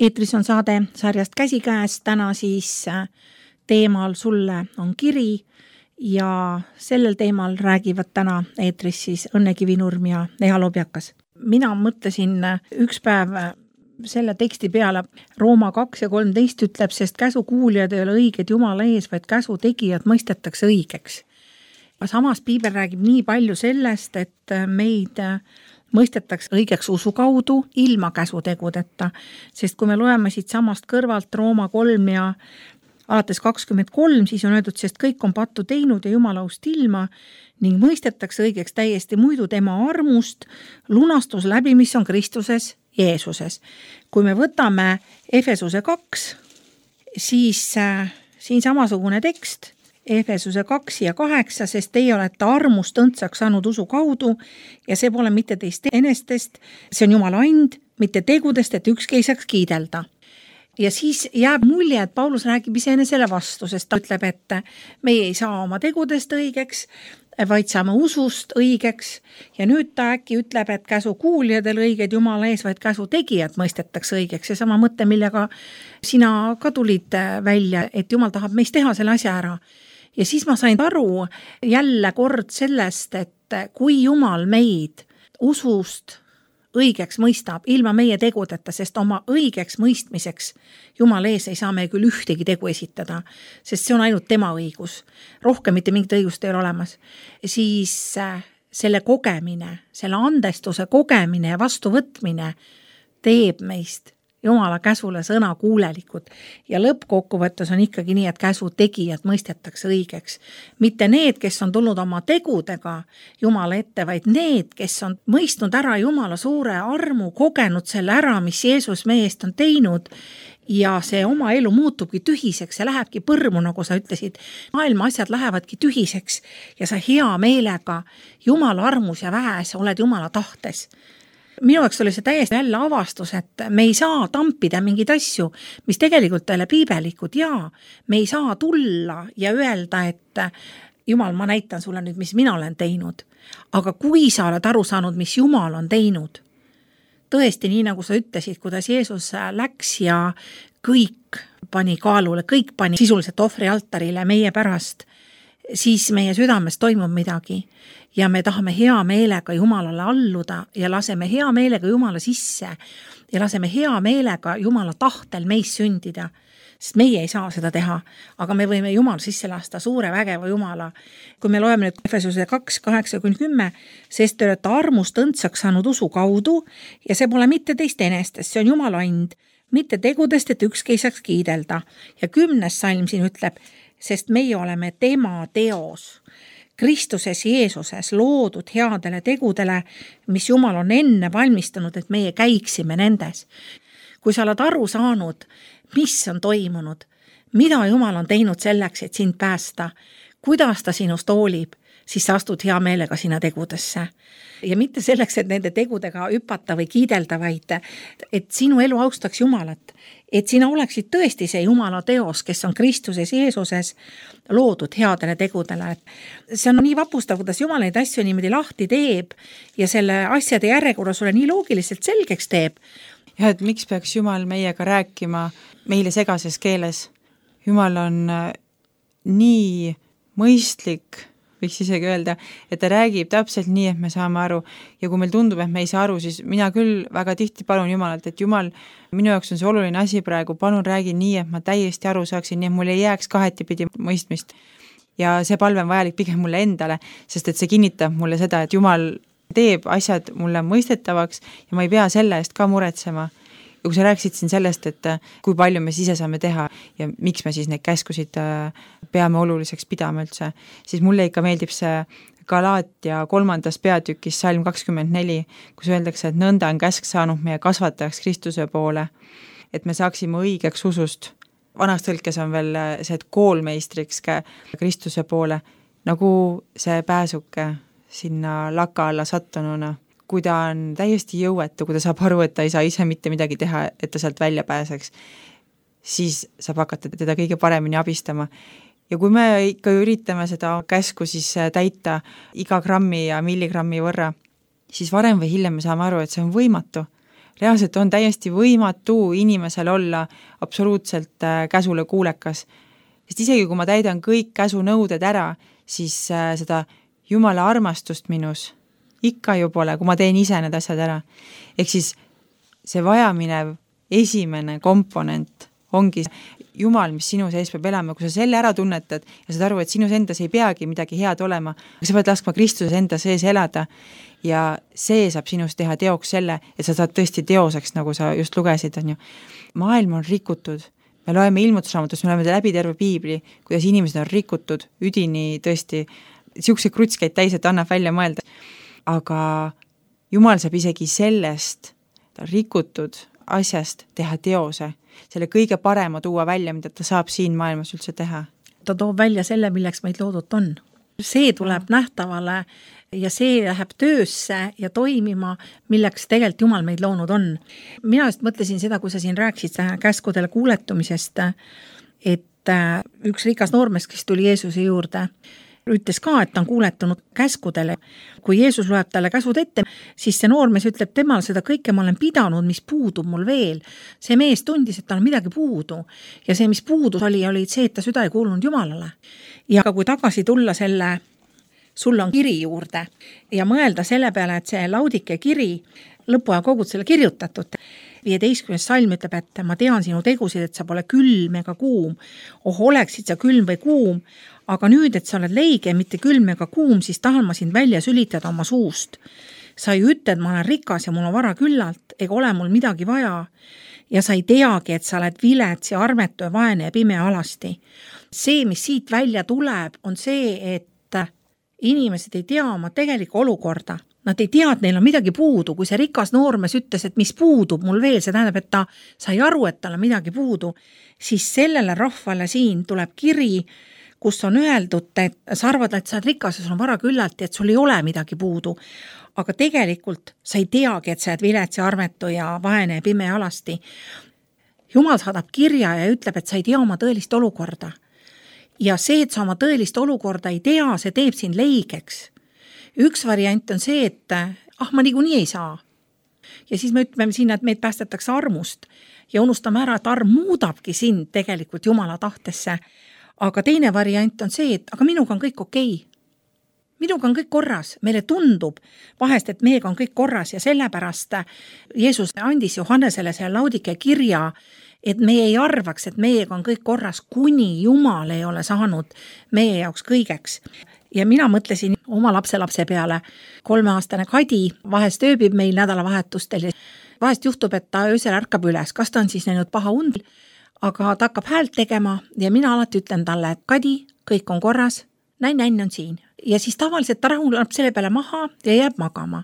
Eetris on saade sarjast Käsikäes, täna siis teemal Sulle on kiri ja sellel teemal räägivad täna eetris siis Õnne Kivinurm ja Leha Lobjakas. Mina mõtlesin üks päev selle teksti peale, Rooma 2 ja 13 ütleb, sest käsu kuulijad ei ole õiged Jumala ees, vaid käsu tegijad mõistetakse õigeks. Samas Piibel räägib nii palju sellest, et meid mõistetakse õigeks usu kaudu ilma käsutegudeta, sest kui me loeme siit samast kõrvalt Rooma 3 ja alates 23, siis on öeldud, sest kõik on pattu teinud ja Jumalaust ilma ning mõistetakse õigeks täiesti muidu tema armust, lunastus läbi, mis on Kristuses Jeesuses. Kui me võtame Efesuse 2, siis siin samasugune tekst, Efesuse 2 ja 8, sest teie olete armust õndsaks saanud usu kaudu ja see pole mitte teist enestest, see on Jumala and, mitte tegudest, et ükski ei saaks kiidelda. Ja siis jääb mulje, et Paulus räägib iseenesele vastu, sest ta ütleb, et meie ei saa oma tegudest õigeks, vaid saame usust õigeks ja nüüd ta äkki ütleb, et käsu kuulijadel õiged Jumala ees, vaid käsu tegijad mõistetakse õigeks. See sama mõte, millega sina ka tulid välja, et Jumal tahab meist teha selle asja ära. Ja siis ma sain aru jälle kord sellest, et kui Jumal meid usust õigeks mõistab ilma meie tegudeta, sest oma õigeks mõistmiseks Jumal ees ei saa me küll ühtegi tegu esitada, sest see on ainult tema õigus. Rohkem mitte mingit õigust ei ole olemas. Siis selle kogemine, selle andestuse kogemine ja vastuvõtmine teeb meist Jumala käsule sõna kuulelikud ja lõppkokkuvõttes on ikkagi nii, et käsu tegijad mõistetakse õigeks. Mitte need, kes on tulnud oma tegudega Jumala ette, vaid need, kes on mõistnud ära Jumala suure armu, kogenud selle ära, mis Jeesus meie eest on teinud ja see oma elu muutubki tühiseks, see lähebki põrmu, nagu sa ütlesid. Maailma asjad lähevadki tühiseks ja sa hea meelega Jumala armus ja väes oled Jumala tahtes. Minu jaoks oli see täiesti jälle avastus, et me ei saa tampida mingeid asju, mis tegelikult ei ole piibelikud ja me ei saa tulla ja öelda, et Jumal, ma näitan sulle nüüd, mis mina olen teinud. Aga kui sa oled aru saanud, mis Jumal on teinud, tõesti nii, nagu sa ütlesid, kuidas Jeesus läks ja kõik pani kaalule, kõik pani sisuliselt ohvrialtarile meie pärast, siis meie südames toimub midagi ja me tahame hea meelega Jumalale alluda ja laseme hea meelega Jumala sisse ja laseme hea meelega Jumala tahtel meis sündida, sest meie ei saa seda teha, aga me võime Jumal sisse lasta, suure vägeva Jumala. Kui me loeme nüüd Efesuse 2:8-10, sest te olete armust õndsaks saanud usu kaudu ja see pole mitte teist enestest, see on Jumala and, mitte tegudest, et ükski ei saaks kiidelda. Ja 10. salm siin ütleb, sest meie oleme tema teos, Kristuses Jeesuses loodud headele tegudele, mis Jumal on enne valmistanud, et meie käiksime nendes. Kui sa oled aru saanud, mis on toimunud, mida Jumal on teinud selleks, et sind päästa, kuidas ta sinust hoolib, siis sa astud hea meelega sinna tegudesse. Ja mitte selleks, et nende tegudega hüpata või kiidelda, vaid et sinu elu austaks Jumalat, et sina oleksid tõesti see Jumala teos, kes on Kristuses Jeesuses loodud headele tegudele. See on nii vapustav, kuidas Jumal neid asju niimoodi lahti teeb ja selle asjade järjekorra sulle nii loogiliselt selgeks teeb. Ja et miks peaks Jumal meiega rääkima meile segases keeles? Jumal on nii mõistlik, võiks isegi öelda, et ta räägib täpselt nii, et me saame aru ja kui meil tundub, et me ei saa aru, siis mina küll väga tihti palun Jumalalt, et Jumal, minu jaoks on see oluline asi praegu, palun räägi nii, et ma täiesti aru saaksin, nii et mul ei jääks kahetipidi mõistmist. Ja see palve on vajalik pigem mulle endale, sest et see kinnitab mulle seda, et Jumal teeb asjad mulle mõistetavaks ja ma ei pea selle eest ka muretsema. Ja kui sa rääkisid siin sellest, et kui palju me ise saame teha ja miks me siis neid käskusid peame oluliseks pidama üldse, siis mulle ikka meeldib see Galaatia 3. peatükis salm 24, kus öeldakse, et nõnda on käsk saanud meie kasvatajaks Kristuse poole, et me saaksime õigeks usust. Vanas tõlkes on veel see, et koolmeistriks Kristuse poole, nagu see pääsuke sinna laka alla sattununa. Kui ta on täiesti jõuetu, kui ta saab aru, et ta ei saa ise mitte midagi teha, et ta sealt välja pääseks, siis saab hakata teda kõige paremini abistama. Ja kui me ikka üritame seda käsku siis täita iga grammi ja milligrammi võrra, siis varem või hiljem me saame aru, et see on võimatu. Reaalselt on täiesti võimatu inimesel olla absoluutselt käsule kuulekas. Sest isegi kui ma täidan kõik käsunõuded ära, siis seda Jumala armastust minus ikka ju pole, kui ma teen ise need asjad ära. Ehk siis see vajaminev esimene komponent ongi Jumal, mis sinu sees peab elama. Kui sa selle ära tunnetad ja saad aru, et sinus endas ei peagi midagi head olema, aga sa pead laskma Kristuses enda sees elada ja see saab sinust teha teoks selle, et sa saad tõesti teoseks, nagu sa just lugesid. On ju. Maailm on rikutud. Me loeme ilmutusraamatust, me loeme läbi terve piibli, kuidas inimesed on rikutud, üdini tõesti, siukseid krutskeid täis, et annab välja mõelda. Aga Jumal saab isegi sellest rikutud asjast teha teose, selle kõige parema tuua välja, mida ta saab siin maailmas üldse teha. Ta toob välja selle, milleks meid loodud on. See tuleb nähtavale ja see läheb töösse ja toimima, milleks tegelikult Jumal meid loonud on. Mina just mõtlesin seda, kui sa siin rääkisid käskudele kuuletumisest, et üks rikas noormees, kes tuli Jeesuse juurde, ütles ka, et ta on kuuletunud käskudele. Kui Jeesus loeb talle käsud ette, siis see noormees ütleb, temal seda kõike ma olen pidanud, mis puudub mul veel. See mees tundis, et tal on midagi puudu. Ja see, mis puudus oli see, et ta süda ei kuulunud Jumalale. Ja kui tagasi tulla selle sul on kiri juurde ja mõelda selle peale, et see Laudike kiri, lõpuaja kogud selle kirjutatud, 15. salm ütleb, et ma tean sinu tegusid, et sa pole külm ega kuum. Oleksid sa külm või kuum, aga nüüd, et sa oled leige, mitte külm ega kuum, siis tahan ma sind välja sülitada oma suust. Sa ei ütled, ma olen rikas ja mul on vara küllalt, ega ole mul midagi vaja. Ja sa ei teagi, et sa oled vilets ja armetu ja vaene ja pime alasti. See, mis siit välja tuleb, on see, et inimesed ei tea oma tegelikku olukorda. Nad ei tea, et neil on midagi puudu. Kui see rikas noormees ütles, et mis puudub mul veel, see tähendab, et ta sai aru, et tal on midagi puudu, siis sellele rahvale siin tuleb kiri, kus on öeldud, et sa arvad, et sa oled rikas ja sul on vara küllalt, et sul ei ole midagi puudu. Aga tegelikult sa ei teagi, et sa oled vilets ja armetu ja vaene ja pime ja alasti. Jumal saadab kirja ja ütleb, et sa ei tea oma tõelist olukorda. Ja see, et sa oma tõelist olukorda ei tea, see teeb sind leigeks. Üks variant on see, et ma niikuinii ei saa. Ja siis me ütleme sinna, et meid päästetakse armust ja unustame ära, et arm muudabki sind tegelikult Jumala tahtesse. Aga teine variant on see, et aga minuga on kõik okei. Minuga on kõik korras. Meile tundub vahest, et meiega on kõik korras ja sellepärast Jeesus andis Johannesele selle Laodikea kirja, et meie ei arvaks, et meiega on kõik korras, kuni Jumal ei ole saanud meie jaoks kõigeks. Ja mina mõtlesin oma lapselapse peale. 3-aastane Kadi vahest ööbib meil nädalavahetustel. Vahest juhtub, et ta öösel ärkab üles. Kas ta on siis näinud paha und? Aga ta hakkab häält tegema ja mina alati ütlen talle, et Kadi, kõik on korras, näin on siin. Ja siis tavaliselt ta rahuneb selle peale maha ja jääb magama.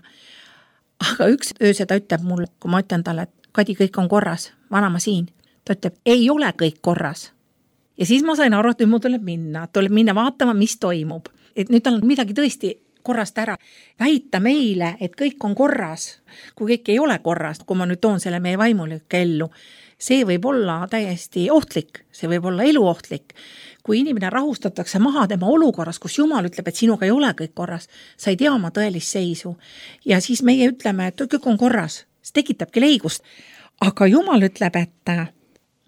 Aga üks ööse ta ütleb mulle, kui ma ütlen talle, et Kadi, kõik on korras, vanama siin. Ta ütleb, ei ole kõik korras. Ja siis ma sain aru, et nüüd mul tuleb minna vaatama, mis toimub. Et nüüd tal on midagi tõesti korrast ära. Väita meile, et kõik on korras, kui kõik ei ole korras, kui ma nüüd toon selle meie vaimulikke ellu, see võib olla täiesti ohtlik, see võib olla eluohtlik. Kui inimene rahustatakse maha tema olukorras, kus Jumal ütleb, et sinuga ei ole kõik korras, sa ei tea oma tõelist seisu. Ja siis meie ütleme, et kõik on korras, see tekitabki leigust. Aga Jumal ütleb, et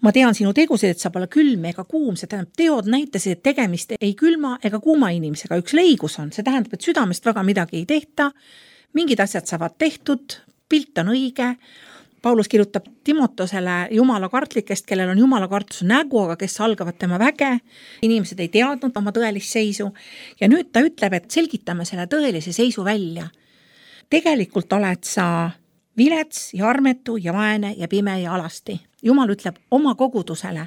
ma tean sinu tegusid, et sa pole külm ega kuum, see tähendab, teod näitasid, et tegemist ei külma ega kuuma inimesega, üks leigus on, see tähendab, et südamest väga midagi ei tehta, mingid asjad saavad tehtud, pilt on õige. Paulus kirjutab Timotosele Jumala kartlikest, kellel on Jumala kartus nägu, aga kes algavad tema väge. Inimesed ei teadnud oma tõelist seisu ja nüüd ta ütleb, et selgitame selle tõelise seisu välja. Tegelikult oled sa vilets ja armetu ja vaene ja pime ja alasti. Jumal ütleb oma kogudusele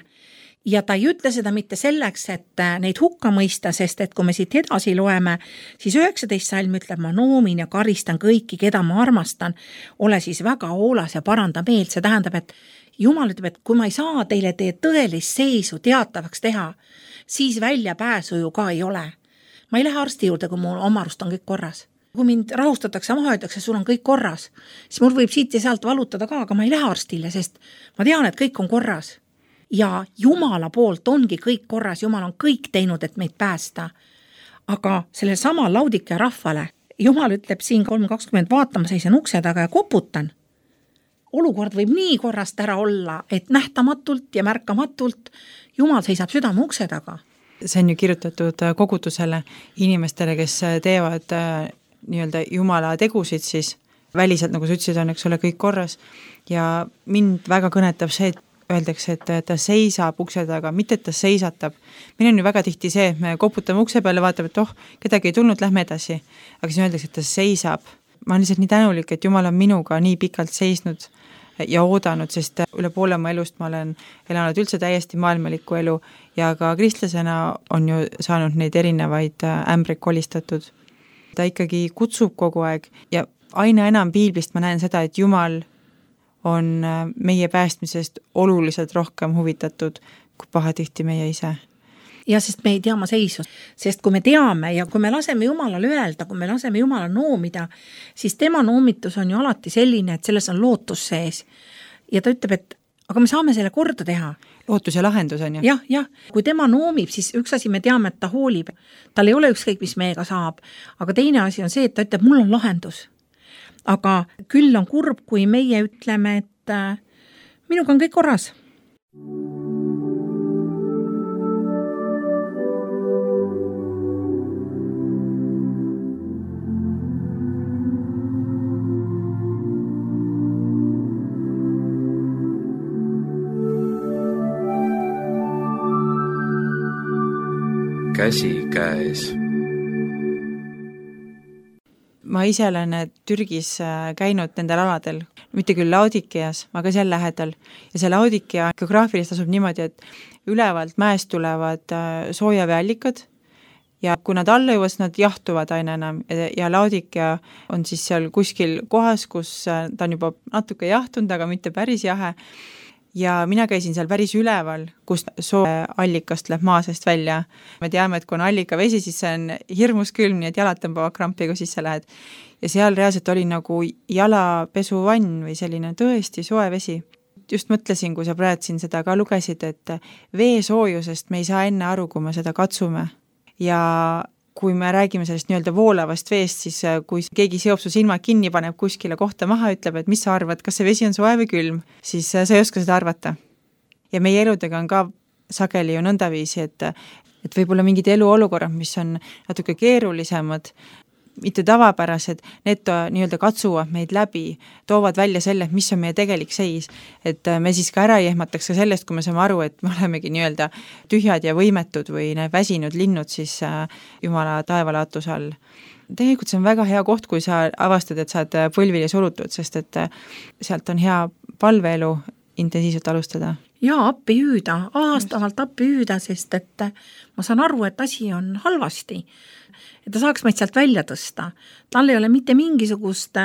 ja ta ei ütle seda mitte selleks, et neid hukka mõista, sest et kui me siit edasi loeme, siis 19 salm ütleb, ma noomin ja karistan kõiki, keda ma armastan, ole siis väga hoolas ja paranda meelt. See tähendab, et Jumal ütleb, et kui ma ei saa teile teie tõelist seisu teatavaks teha, siis välja pääsu ju ka ei ole. Ma ei lähe arsti juurde, kui mul oma arust on kõik korras. Kui mind rahustatakse maha, öeldakse, sul on kõik korras, siis mul võib siit ja sealt valutada ka, aga ma ei lähe arstile, sest ma tean, et kõik on korras. Ja Jumala poolt ongi kõik korras, Jumal on kõik teinud, et meid päästa. Aga selle sama Laodikea rahvale, Jumal ütleb siin 3.20, vaatama seisan ukse taga ja koputan. Olukord võib nii korrast ära olla, et nähtamatult ja märkamatult Jumal seisab südame ukse taga. See on ju kirjutatud kogudusele inimestele, kes teevad nii-öelda Jumala tegusid, siis väliselt, nagu sa ütlesid, on, eks ole, kõik korras. Ja mind väga kõnetab see, et öeldakse, et ta seisab ukse taga, mitte et ta seisatab. Meil on ju väga tihti see, et me koputame ukse peale, vaatame, et kedagi ei tulnud, lähme edasi. Aga siis öeldakse, et ta seisab. Ma olen lihtsalt nii tänulik, et Jumal on minuga nii pikalt seisnud ja oodanud, sest üle poole oma elust ma olen elanud üldse täiesti maailmalikku elu ja ka kristlasena on ju saanud neid erinevaid ämbreid kolistatud. Ta ikkagi kutsub kogu aeg ja aina enam piiblist ma näen seda, et Jumal on meie päästmisest oluliselt rohkem huvitatud kui pahatihti meie ise. Ja sest me ei tea oma seisu, sest kui me teame ja kui me laseme Jumalale öelda, kui me laseme Jumala noomida, siis tema noomitus on ju alati selline, et selles on lootus sees. Ja ta ütleb, et aga me saame selle korda teha. Lootus ja lahendus on ju. Jah, kui tema noomib, siis üks asi me teame, et ta hoolib. Tal ei ole ükskõik, mis meiega saab. Aga teine asi on see, et ta ütleb, mul on lahendus. Aga küll on kurb, kui meie ütleme, et minuga on kõik korras. Käsi käes. Ma ise olen Türgis käinud nendel aladel, mitte küll Laodikeas, aga seal lähedal. Ja see Laodikea geograafilist asub niimoodi, et ülevalt mäest tulevad soojaveeallikad ja kui nad alla jõuavad, nad jahtuvad aina enam ja Laodikea on siis seal kuskil kohas, kus ta on juba natuke jahtunud, aga mitte päris jahe. Ja mina käisin seal päris üleval, kus sooallikast läheb maa seest välja. Me teame, et kui on allikavesi, siis see on hirmus külm, nii et jalad tõmbavad krampi, kui sisse lähed. Ja seal reaalselt oli nagu jalapesuvann või selline tõesti soe vesi. Just mõtlesin, kui sa praegu siin seda ka lugesid, et vee soojusest me ei saa enne aru, kui me seda katsume. Ja kui me räägime sellest nii-öelda voolavast veest, siis kui keegi seob su silmad kinni, paneb kuskile kohta maha, ütleb, et mis sa arvad, kas see vesi on soe või külm, siis sa ei oska seda arvata. Ja meie eludega on ka sageli ju nõndaviisi, et võib-olla mingid eluolukorrad, mis on natuke keerulisemad, mitte tavapärased, need nii-öelda katsuvad meid läbi, toovad välja selle, mis on meie tegelik seis, et me siis ka ära ei ehmataks ka sellest, kui me saame aru, et me olemegi nii-öelda tühjad ja võimetud või need väsinud linnud siis Jumala taevalaatuse all. Tegelikult see on väga hea koht, kui sa avastad, et sa oled põlvili surutud, sest et sealt on hea palveelu intensiivselt alustada. Ja appi hüüda, aastavalt appi hüüda, sest et ma saan aru, et asi on halvasti. Et ta saaks meid sealt välja tõsta. Tal ei ole mitte mingisugust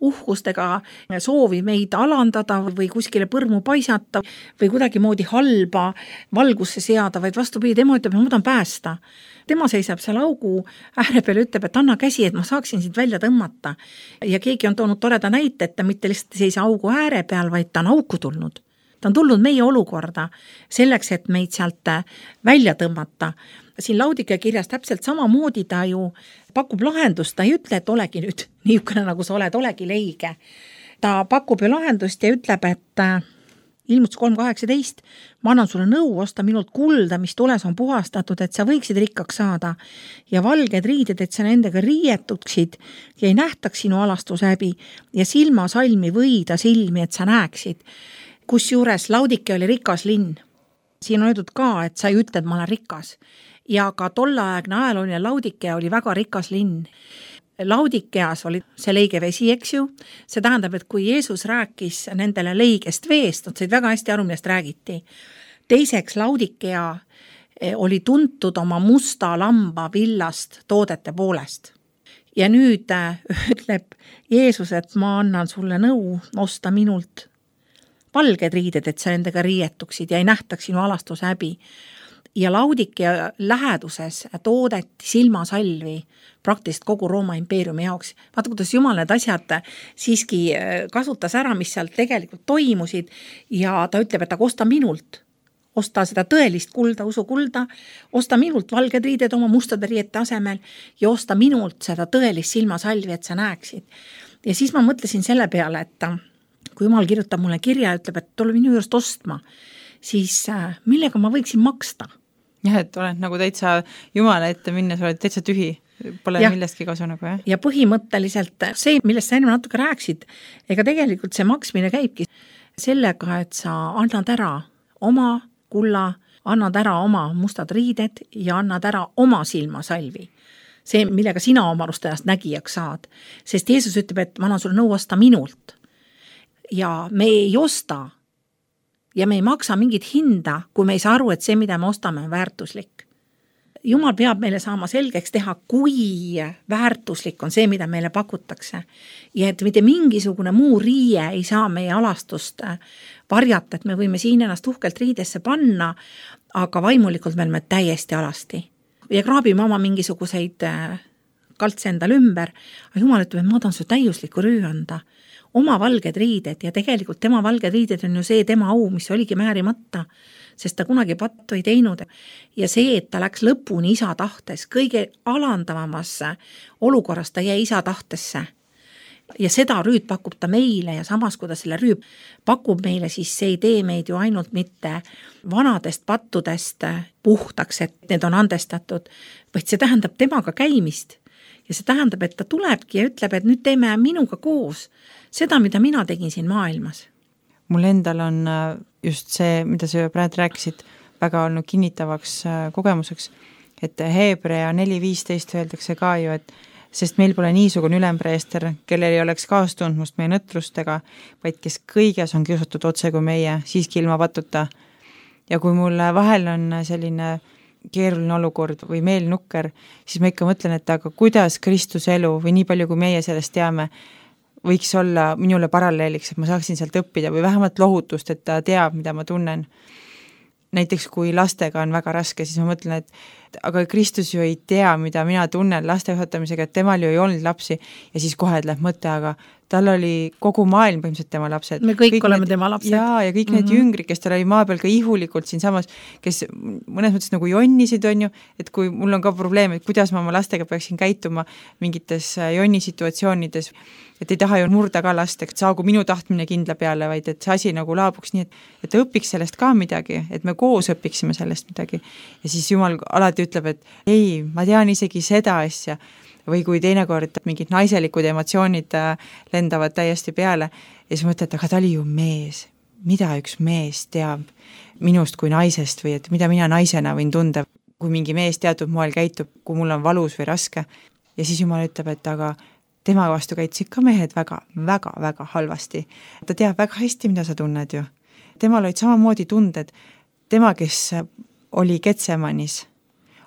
uhkust ega soovi meid alandada või kuskile põrmu paisata või kuidagi moodi halba valgusse seada, vaid vastupidi, tema ütleb, ma tahan päästa. Tema seisab seal augu ääre peal, ütleb, et anna käsi, et ma saaksin sind välja tõmmata. Ja keegi on toonud toreda näite, et ta mitte lihtsalt seisa augu ääre peal, vaid ta on auku tulnud. Ta on tulnud meie olukorda selleks, et meid sealt välja tõmmata. Siin Laodikea kirjas täpselt samamoodi ta ju pakub lahendust, ta ei ütle, et olegi nüüd niisugune, nagu sa oled, olegi leige. Ta pakub ju lahendust ja ütleb, et ilmutus 3.18, ma annan sulle nõu, osta minult kulda, mis tules on puhastatud, et sa võiksid rikkaks saada ja valged riided, et sa nendega riietuksid ja ei nähtaks sinu alastushäbi ja silmasalmi võida silmi, et sa näeksid. Kusjuures Laodikea oli rikas linn. Siin on öeldud ka, et sa ei ütle, et ma olen rikas. Ja ka tolleaegne ajalooline Laodikea oli väga rikas linn. Laodikeas oli see leige vesi, eks ju. See tähendab, et kui Jeesus rääkis nendele leigest veest, nad said väga hästi aru, millest räägiti. Teiseks, Laodikea oli tuntud oma musta lamba villast toodete poolest. Ja nüüd ütleb Jeesus, et ma annan sulle nõu osta minult valged riided, et sa nendega riietuksid ja ei nähtaks sinu alastushäbi. Ja Laodikea läheduses toodeti silmasalvi praktiliselt kogu Rooma impeeriumi jaoks. Vaata, kuidas Jumal need asjad siiski kasutas ära, mis seal tegelikult toimusid ja ta ütleb, et aga osta minult. Osta seda tõelist kulda, usukulda, osta minult valged riided oma mustade riiete asemel ja osta minult seda tõelist silmasalvi, et sa näeksid. Ja siis ma mõtlesin selle peale, et kui Jumal kirjutab mulle kirja ja ütleb, et tule minu juurest ostma, siis millega ma võiksin maksta? Jah, et oled nagu täitsa Jumala ette minnes, oled täitsa tühi, pole millestki kasu nagu, jah? Ja põhimõtteliselt see, millest sa enne natuke rääksid, ega tegelikult see maksmine käibki sellega, et sa annad ära oma kulla, annad ära oma mustad riided ja annad ära oma silmasalvi. See, millega sina oma arust ennast nägijaks saad. Sest Jeesus ütleb, et ma annan sulle nõu osta minult. Ja me ei osta ja me ei maksa mingit hinda, kui me ei saa aru, et see, mida me ostame, on väärtuslik. Jumal peab meile saama selgeks teha, kui väärtuslik on see, mida meile pakutakse. Ja et mitte mingisugune muu riie ei saa meie alastust varjata, et me võime siin ennast uhkelt riidesse panna, aga vaimulikult me oleme täiesti alasti. Ja kraabime oma mingisuguseid kaltse endal ümber, aga Jumal ütleb, et ma tahan su täiuslikku rüü anda. Oma valged riided ja tegelikult tema valged riided on ju see tema au, mis oligi määrimata, sest ta kunagi pattu ei teinud. Ja see, et ta läks lõpuni isa tahtes, kõige alandavamasse olukorras ta jäi isa tahtesse. Ja seda rüüd pakub ta meile ja samas, kui ta selle rüüd pakub meile, siis see ei tee meid ju ainult mitte vanadest pattudest puhtaks, et need on andestatud, vaid see tähendab temaga käimist. Ja see tähendab, et ta tulebki ja ütleb, et nüüd teeme minuga koos seda, mida mina tegin siin maailmas. Mul endal on just see, mida sa praegu rääkisid, väga olnud kinnitavaks kogemuseks, et Hebrea 4.15 öeldakse ka ju, et sest meil pole niisugune ülempreester, kellel ei oleks kaastundmust meie nõtrustega, vaid kes kõiges on kiusatud otse kui meie, siiski ilma patuta. Ja kui mul vahel on selline keeruline olukord või meel nukker, siis ma ikka mõtlen, et aga kuidas Kristuse elu või nii palju, kui meie sellest teame, võiks olla minule paralleeliks, et ma saaksin sealt õppida või vähemalt lohutust, et ta teab, mida ma tunnen. Näiteks kui lastega on väga raske, siis ma mõtlen, et aga Kristus ju ei tea, mida mina tunnen laste juhatamisega, et temal ju ei olnud lapsi ja siis kohe läheb mõte, aga tal oli kogu maailm põhimõtteliselt tema lapsed. Me kõik oleme tema lapsed. Ja kõik need jüngrid, kes tal oli maa peal ka ihulikult siin samas, kes mõnes mõttes nagu jonnisid on ju, et kui mul on ka probleem, et kuidas ma oma lastega peaksin käituma mingites jonnisituatsioonides, et ei taha ju murda ka last, et saagu minu tahtmine kindla peale, vaid et see asi nagu laabuks nii, et ta õpiks sellest ka midagi, et me koos õpiksime sellest midagi. Ja siis Jumal alati ütleb, et ei, ma tean isegi seda asja, või kui teinekord mingid naiselikud emotsioonid lendavad täiesti peale ja siis mõtled, aga ta oli ju mees, mida üks mees teab minust kui naisest või et mida mina naisena võin tunda, kui mingi mees teatud moel käitub, kui mul on valus või raske. Ja siis Jumal ütleb, et aga tema vastu käitusid ka mehed väga halvasti. Ta teab väga hästi, mida sa tunned ju. Temal olid samamoodi tunded. Tema, kes oli Getsemanis,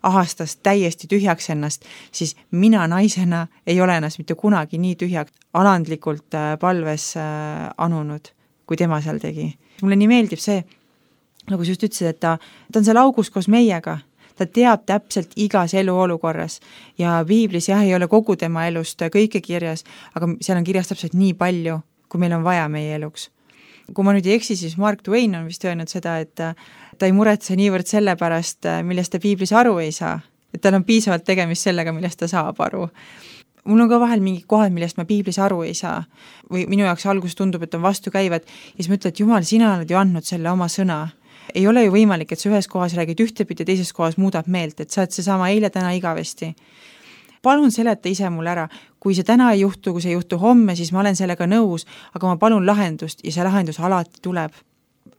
ahastas täiesti tühjaks ennast, siis mina naisena ei ole ennast mitte kunagi nii tühjaks alandlikult palves anunud, kui tema seal tegi. Mulle nii meeldib see, nagu sa just ütlesid, et ta on seal augus koos meiega. Ta teab täpselt igas eluolukorras ja Piiblis ei ole kogu tema elust kõike kirjas, aga seal on kirjas täpselt nii palju, kui meil on vaja meie eluks. Kui ma nüüd ei eksi, siis Mark Twain on vist öelnud seda, et ta ei muretse niivõrd selle pärast, millest ta Piiblis aru ei saa, et tal on piisavalt tegemist sellega, millest ta saab aru. Mul on ka vahel mingi kohad, millest ma Piiblis aru ei saa või minu jaoks algus tundub, et on vastukäivad ja siis ma ütlen, et Jumal, sina oled ju andnud selle oma sõna. Ei ole ju võimalik, et sa ühes kohas räägid ühtepidi ja teises kohas muudab meelt, et sa oled seesama eile, täna, igavesti. Palun seleta ise mul ära, kui see täna ei juhtu, kui see ei juhtu homme, siis ma olen sellega nõus, aga ma palun lahendust ja see lahendus alati tuleb.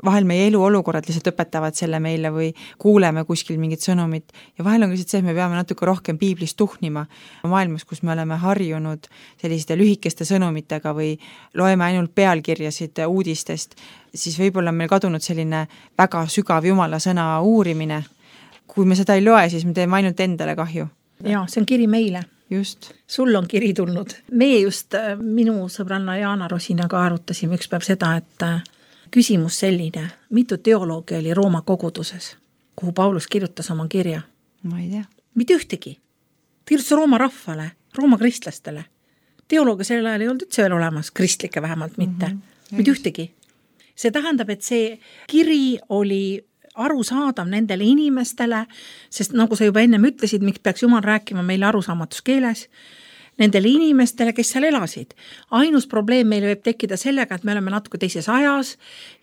Vahel meie eluolukorrad lihtsalt õpetavad selle meile või kuuleme kuskil mingit sõnumit ja vahel on lihtsalt see, et me peame natuke rohkem Piiblist tuhnima maailmas, kus me oleme harjunud selliste lühikeste sõnumitega või loeme ainult pealkirjasid uudistest, siis võib-olla meil kadunud selline väga sügav Jumala sõna uurimine. Kui me seda ei loe, siis me teeme ainult endale kahju. Ja, see on kiri meile. Just. Sul on kiri tulnud. Meie just minu sõbranna Jaana Rosinaga arutasime üks päev seda, et küsimus selline, mitu teoloogi oli Rooma koguduses, kuhu Paulus kirjutas oma kirja? Ma ei tea. Mitte ühtegi. Kirjutas Rooma rahvale, Rooma kristlastele. Teoloogia sellel ajal ei olnud üldse veel olemas, kristlike vähemalt mitte. Mitte ühtegi. See tähendab, et see kiri oli arusaadav nendele inimestele, sest nagu sa juba ennem ütlesid, miks peaks Jumal rääkima meile arusaamatus keeles, nendele inimestele, kes seal elasid. Ainus probleem meile võib tekkida sellega, et me oleme natuke teises ajas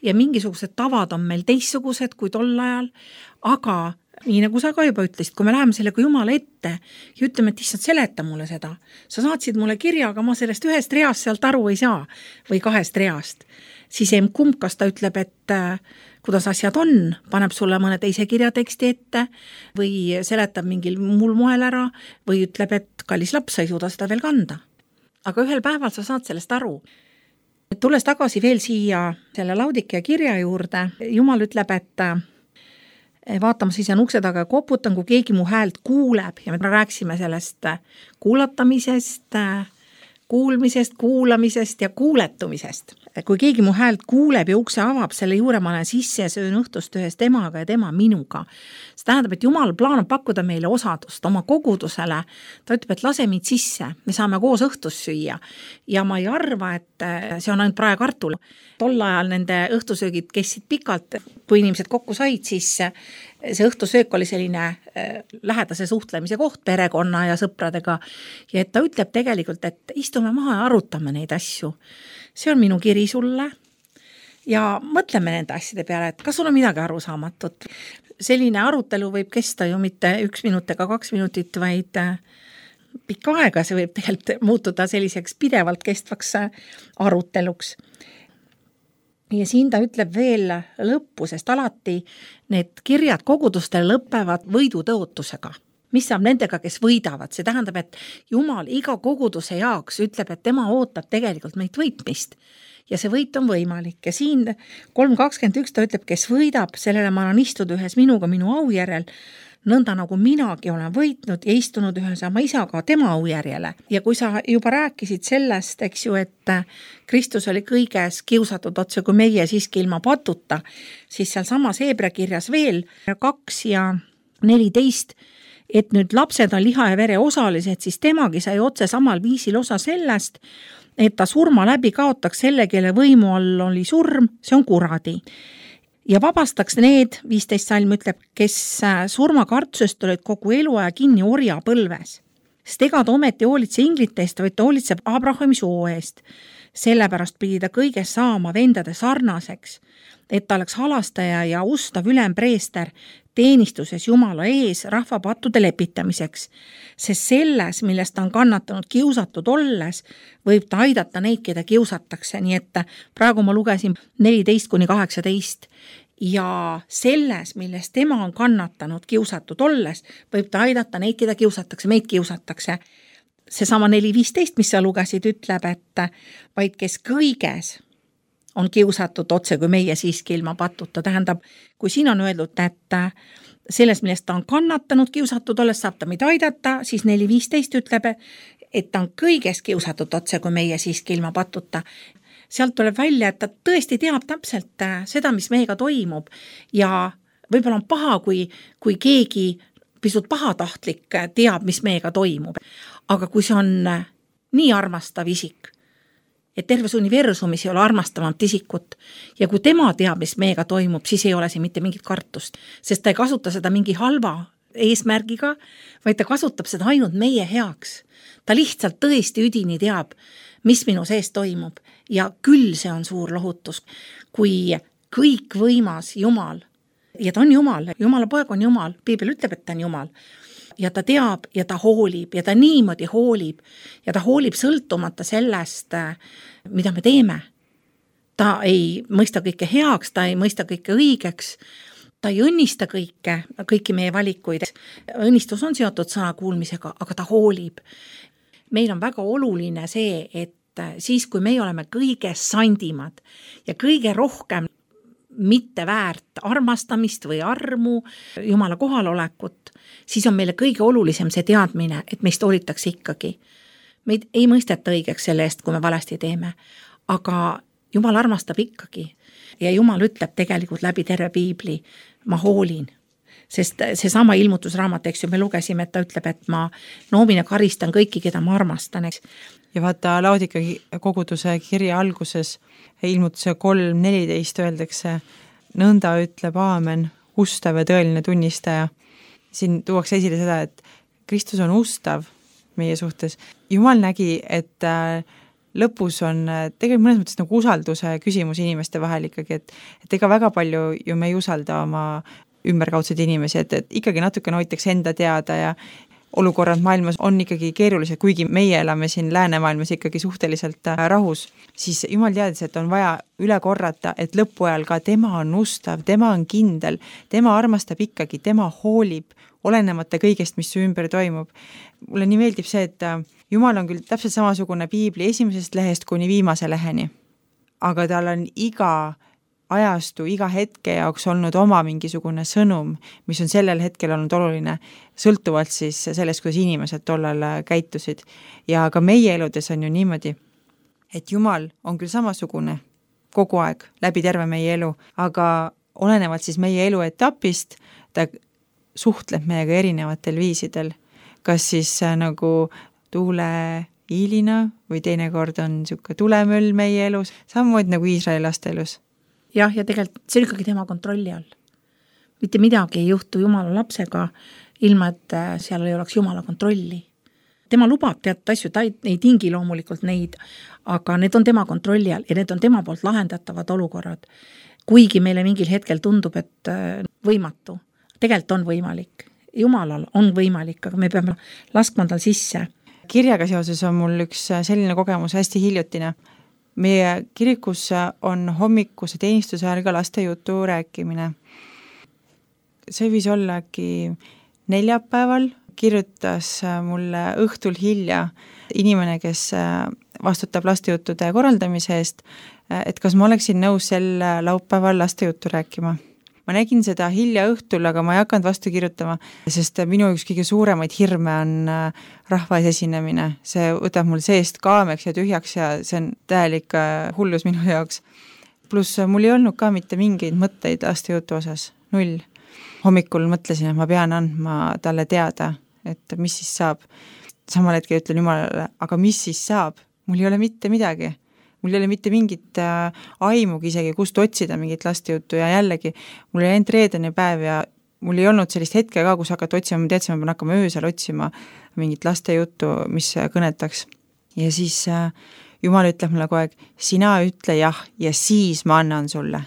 ja mingisugused tavad on meil teistsugused kui tol ajal, aga nii nagu sa ka juba ütlesid, kui me läheme sellega Jumala ette ja ütleme, et issand, seleta mulle seda. Sa saatsid mulle kirja, aga ma sellest ühest reast sealt aru ei saa või kahest reast. Siis kumb, kas ta ütleb, et kuidas asjad on, paneb sulle mõne teise kirjateksti ette või seletab mingil muul moel ära või ütleb, et kallis laps, sa ei suuda seda veel kanda. Aga ühel päeval sa saad sellest aru. Tulles tagasi veel siia selle Laudikea kirja juurde, Jumal ütleb, et vaatama siis on ukse taga ja koputan, kui keegi mu häält kuuleb ja me rääksime sellest kuulatamisest, kuulmisest, kuulamisest ja kuuletumisest. Kui keegi mu häält kuuleb ja ukse avab, selle juure ma olen sisse ja söön õhtust ühes temaga ja tema minuga. See tähendab, et Jumal plaanab pakkuda meile osadust oma kogudusele. Ta ütleb, et lase mind sisse, me saame koos õhtust süüa. Ja ma ei arva, et see on ainult praekartul. Tol ajal nende õhtusöögid kestsid pikalt, kui inimesed kokku said, siis see õhtusöök oli selline lähedase suhtlemise koht perekonna ja sõpradega. Ja et ta ütleb tegelikult, et istume maha ja arutame neid asju. See on minu kiri sulle ja mõtleme nende asjade peale, et kas sul on midagi arusaamatut. Selline arutelu võib kesta ju mitte 1 minut ega 2 minutit, vaid pikka aega. See võib tegelikult muutuda selliseks pidevalt kestvaks aruteluks. Ja siin ta ütleb veel lõppu, sest alati need kirjad kogudustel lõppevad võidutõotusega. Mis saab nendega, kes võidavad? See tähendab, et Jumal iga koguduse jaoks ütleb, et tema ootab tegelikult meid võitmist. Ja see võit on võimalik. Ja siin 3.21 ta ütleb, kes võidab, sellele ma annan istuda ühes minuga minu au järel, nõnda nagu minagi olen võitnud ja istunud ühe sama isaga tema aujärjele. Ja kui sa juba rääkisid sellest, eks ju, et Kristus oli kõiges kiusatud otse kui meie siiski ilma patuta, siis seal samas Hebra kirjas veel 2 ja 14, et nüüd lapsed on liha ja vere osalised, siis temagi sai otse samal viisil osa sellest, et ta surma läbi kaotaks selle, kelle võimu all oli surm, see on kuradi. Ja vabastaks need, 15 salm ütleb, kes surmakartusest olid kogu eluaja kinni orja põlves. Sest ega ta ometi hoolitse inglite eest, vaid ta hoolitseb Abrahami soo eest. Sellepärast pidi ta kõiges saama vendade sarnaseks, et ta oleks halastaja ja ustav ülempreester teenistuses Jumala ees rahva pattude lepitamiseks, sest selles, millest ta on kannatanud kiusatud olles, võib ta aidata neid, keda kiusatakse, nii et praegu ma lugesin 14-18 ja selles, millest tema on kannatanud kiusatud olles, võib ta aidata neid, keda kiusatakse, meid kiusatakse. Seesama 4.15, mis sa lugesid, ütleb, et vaid kes kõiges on kiusatud otse kui meie siiski ilma patuta. Tähendab, kui siin on öeldud, et selles, millest ta on kannatanud kiusatud olles, saab ta meid aidata, siis 4.15 ütleb, et ta on kõiges kiusatud otse kui meie siiski ilma patuta. Sealt tuleb välja, et ta tõesti teab täpselt seda, mis meiega toimub ja võib-olla on paha, kui keegi pisut pahatahtlik teab, mis meiega toimub. Aga kui see on nii armastav isik, et terves universumis ei ole armastavamat isikut ja kui tema teab, mis meiega toimub, siis ei ole see mitte mingit kartust, sest ta ei kasuta seda mingi halva eesmärgiga, vaid ta kasutab seda ainult meie heaks. Ta lihtsalt tõesti üdini teab, mis minu sees toimub ja küll see on suur lohutus, kui kõik võimas Jumal, ja ta on Jumal, Jumala poeg on Jumal, Piibel ütleb, et ta on Jumal, ja ta teab ja ta hoolib ja ta niimoodi hoolib ja ta hoolib sõltumata sellest, mida me teeme. Ta ei mõista kõike heaks, ta ei mõista kõike õigeks, ta ei õnnista kõiki meie valikuid. Õnnistus on seotud sõna kuulmisega, aga ta hoolib. Meil on väga oluline see, et siis, kui me oleme kõige sandimad ja kõige rohkem mitte väärt armastamist või armu, Jumala kohalolekut, siis on meile kõige olulisem see teadmine, et meist hoolitakse ikkagi. Meid ei mõisteta õigeks selle eest, kui me valesti teeme, aga Jumal armastab ikkagi ja Jumal ütleb tegelikult läbi terve Piibli, ma hoolin. Sest seesama ilmutusraamat, eks ju, me lugesime, et ta ütleb, et ma noomin ja karistan kõiki, keda ma armastan, eks. Ja vaata Laodika koguduse kirja alguses ilmutuse 3.14 öeldakse, nõnda ütleb aamen, ustav ja tõeline tunnistaja. Siin tuuakse esile seda, et Kristus on ustav meie suhtes. Jumal nägi, et lõpus on tegelikult mõnes mõttes nagu usalduse küsimus inimeste vahel ikkagi, et ega väga palju ju me ei usalda oma ümberkaudseid inimesi, et ikkagi natuke hoitakse enda teada ja olukorrad maailmas on ikkagi keerulised, kuigi meie elame siin läänemaailmas ikkagi suhteliselt rahus, siis Jumal teadis, et on vaja üle korrata, et lõpuajal ka tema on ustav, tema on kindel, tema armastab ikkagi, tema hoolib, olenemata kõigest, mis su ümber toimub. Mulle nii meeldib see, et Jumal on küll täpselt samasugune Piibli esimesest lehest kuni viimase leheni, aga tal on iga ajastu, iga hetke jaoks olnud oma mingisugune sõnum, mis on sellel hetkel olnud oluline, sõltuvalt siis sellest, kuidas inimesed tollal käitusid. Ja ka meie eludes on ju niimoodi, et Jumal on küll samasugune kogu aeg läbi terve meie elu, aga olenevalt siis meie elu etapist, ta suhtleb meiega erinevatel viisidel. Kas siis nagu tuule hiilina või teinekord on niisugune tulemöll meie elus, samamoodi nagu Iisraeli laste elus. Jah, ja tegelikult see on ikkagi tema kontrolli all. Mitte midagi ei juhtu Jumala lapsega, ilma et seal ei oleks Jumala kontrolli. Tema lubab teatud asju, ta ei tingi loomulikult neid, aga need on tema kontrolli all ja need on tema poolt lahendatavad olukorrad. Kuigi meile mingil hetkel tundub, et võimatu. Tegelikult on võimalik. Jumalal on võimalik, aga me peame laskma tal sisse. Kirjaga seoses on mul üks selline kogemus hästi hiljutine. Meie kirikus on hommikuse teenistuse ajal ka laste jutu rääkimine. See võis olla äkki neljapäeval, kirjutas mulle õhtul hilja inimene, kes vastutab lastejuttude korraldamise eest, et kas ma oleksin nõus sel laupäeval lastejuttu rääkima. ma nägin seda hilja õhtul, aga ma ei hakanud vastu kirjutama, sest minu üks kõige suuremaid hirme on rahva ees esinemine. See võtab mul seest kaameks ja tühjaks ja see on täielik hullus minu jaoks. Pluss mul ei olnud ka mitte mingeid mõtteid lastejutu osas, 0. Hommikul mõtlesin, et ma pean andma talle teada, et mis siis saab. Samal hetkel ütlen Jumalale, aga mis siis saab? Mul ei ole mitte midagi. Mul ei ole mitte mingit aimugi isegi, kust otsida mingit lastejuttu ja jällegi, mul oli ainult reedene päev ja mul ei olnud sellist hetke ka, kus hakata otsima, ma teadsin, ma pean hakkama öösel otsima mingit lastejuttu, mis kõnetaks. Ja siis Jumal ütleb mulle kogu aeg, sina ütle jah ja siis ma annan sulle.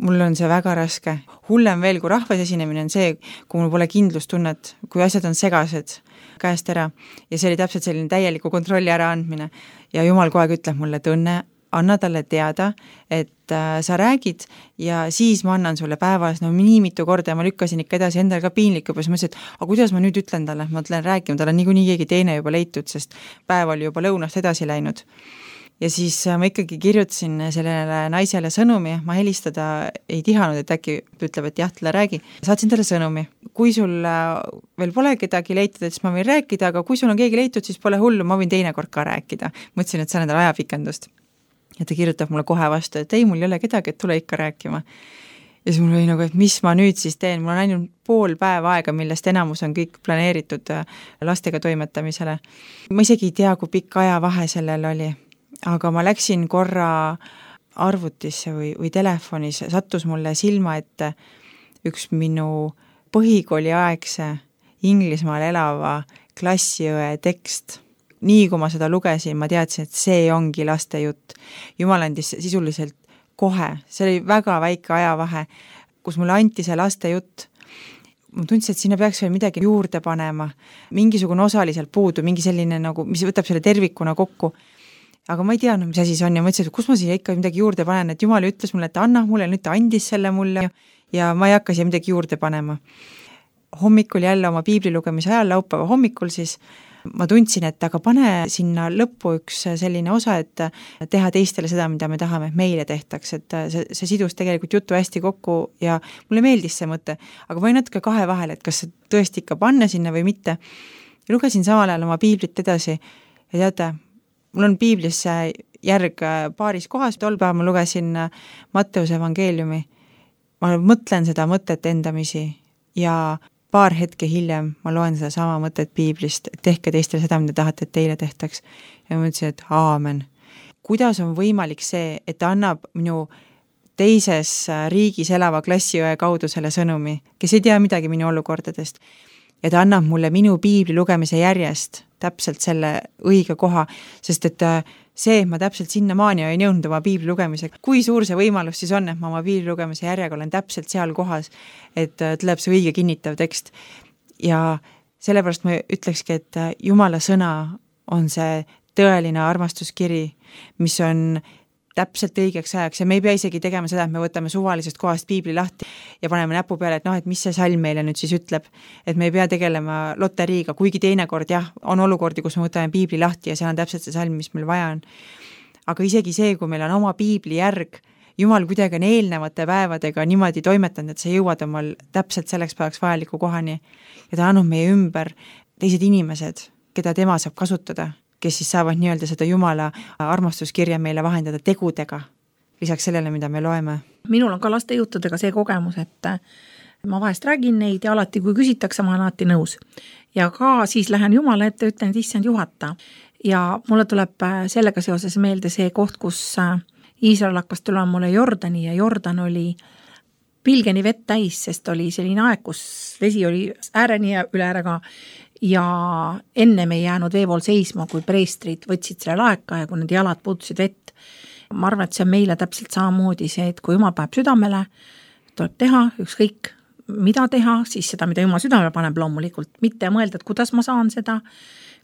Mul on see väga raske. Hullem veel, kui rahvas esinemine on see, kui mul pole kindlustunnet, kui asjad on segased käest ära. Ja see oli täpselt selline täieliku kontrolli ära andmine. Ja Jumal kogu aeg ütleb mulle, et Õnne, anna talle teada, et sa räägid ja siis ma annan sulle päevas, nii mitu korda ja ma lükkasin ikka edasi endale ka piinlik juba, siis mõtlesin, et aga kuidas ma nüüd ütlen talle, ma ütlen rääkima, tal on niikuinii keegi teine juba leitud, sest päev oli juba lõunast edasi läinud. Ja siis ma ikkagi kirjutasin sellele naisele sõnumi, ma helistada ei tihanud, et äkki ütleb, et jah, talle räägi. Saatsin talle sõnumi. Kui sul veel pole kedagi leitud, siis ma võin rääkida, aga kui sul on keegi leitud, siis pole hullu, ma võin teine kord ka rääkida. Mõtlesin, et see on endale ajapikendust. Ja ta kirjutab mulle kohe vastu, et ei, mul ei ole kedagi, et tule ikka rääkima. Ja siis mul oli nagu, et mis ma nüüd siis teen, mul on ainult pool päeva aega, millest enamus on kõik planeeritud lastega toimetamisele. Ma isegi ei tea, kui pikk ajavahe sellel oli. Aga ma läksin korra arvutisse või telefonis, sattus mulle silma ette üks minu põhikooli aegse Inglismaal elava klassiõe tekst. Nii kui ma seda lugesin, ma teadsin, et see ongi lastejutt. Jumal andis sisuliselt kohe, see oli väga väike ajavahe, kus mulle anti see lastejutt. Ma tundsin, et sinna peaks veel midagi juurde panema, mingisugune osaliselt puudu, mingi selline, nagu, mis võtab selle tervikuna kokku. Aga ma ei teadnud, mis asi see on ja mõtlesin, et kus ma siia ikka midagi juurde panen, et Jumal ütles mulle, et anna mulle, nüüd ta andis selle mulle ja ma ei hakka siia midagi juurde panema. Hommikul jälle oma piiblilugemise ajal, laupäeva hommikul siis, ma tundsin, et aga pane sinna lõppu üks selline osa, et teha teistele seda, mida me tahame, et meile tehtaks, et see sidus tegelikult jutu hästi kokku ja mulle meeldis see mõte, aga ma olin natuke kahe vahel, et kas see tõesti ikka panna sinna või mitte. Ja lugesin samal ajal oma piiblit edasi ja teate, mul on piiblis järg paaris kohas, tol päev ma lugesin Matteuse evangeeliumi. Ma mõtlen seda mõtet endamisi ja paar hetke hiljem ma loen seda sama mõtet piiblist, et tehke teistele seda, mida tahate, et teile tehtaks. Ja ma mõtlesin, et aamen. Kuidas on võimalik see, et ta annab minu teises riigis elava klassiõe kaudu selle sõnumi, kes ei tea midagi minu olukordadest. Ja ta annab mulle minu piibli lugemise järjest täpselt selle õige koha, sest et see, ma täpselt sinna maani ei jõudnud oma piibli lugemisega. Kui suur see võimalus siis on, et ma oma piibli lugemise järjega olen täpselt seal kohas, et tuleb see õige kinnitav tekst. Ja sellepärast ma ütlekski, et Jumala sõna on see tõeline armastuskiri, mis on täpselt õigeks ajaks ja me ei pea isegi tegema seda, et me võtame suvalisest kohast piibli lahti ja paneme näpu peale, et et mis see salm meile nüüd siis ütleb, et me ei pea tegelema loteriiga, kuigi teinekord jah, on olukordi, kus me võtame piibli lahti ja seal on täpselt see salm, mis meil vaja on. Aga isegi see, kui meil on oma piibli järg, Jumal kuidagi on eelnevate päevadega niimoodi toimetanud, et sa jõuad omal täpselt selleks päevaks vajaliku kohani ja ta annab meie ümber teised inimesed, keda tema saab kasutada, kes siis saavad nii-öelda seda Jumala armastuskirja meile vahendada tegudega, lisaks sellele, mida me loeme. Minul on ka lastejuttudega see kogemus, et ma vahest räägin neid ja alati, kui küsitakse, ma olen alati nõus. Ja ka siis lähen Jumala ette ja ütlen, et issand juhata. Ja mulle tuleb sellega seoses meelde see koht, kus Iisrael hakkas tulema mulle Jordani ja Jordan oli pilgeni vett täis, sest oli selline aeg, kus vesi oli ääreni ja üle ääre ka. Ja enne me ei jäänud veepool seisma, kui preestrid võtsid selle laeka ja kui need jalad puutusid vett. Ma arvan, et see on meile täpselt samamoodi see, et kui Jumal paneb südamele, tuleb teha ükskõik mida teha, siis seda, mida Jumal südamele paneb loomulikult, mitte mõelda, et kuidas ma saan seda.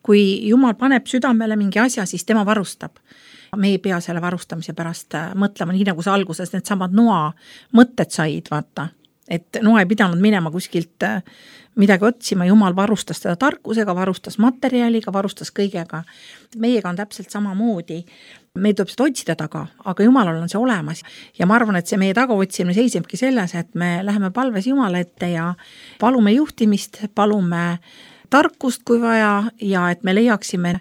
Kui Jumal paneb südamele mingi asja, siis tema varustab. Me ei pea selle varustamise pärast mõtlema, nii nagu see alguses need samad noa mõtted said, vaata. Et noa ei pidanud minema kuskilt midagi otsima, Jumal varustas teda tarkusega, varustas materjaliga, varustas kõigega. Meiega on täpselt samamoodi. meil tuleb seda otsida taga, aga Jumalal on see olemas. Ja ma arvan, et see meie tagaotsimine seisebki selles, et me läheme palves Jumala ette ja palume juhtimist, palume tarkust, kui vaja, ja et me leiaksime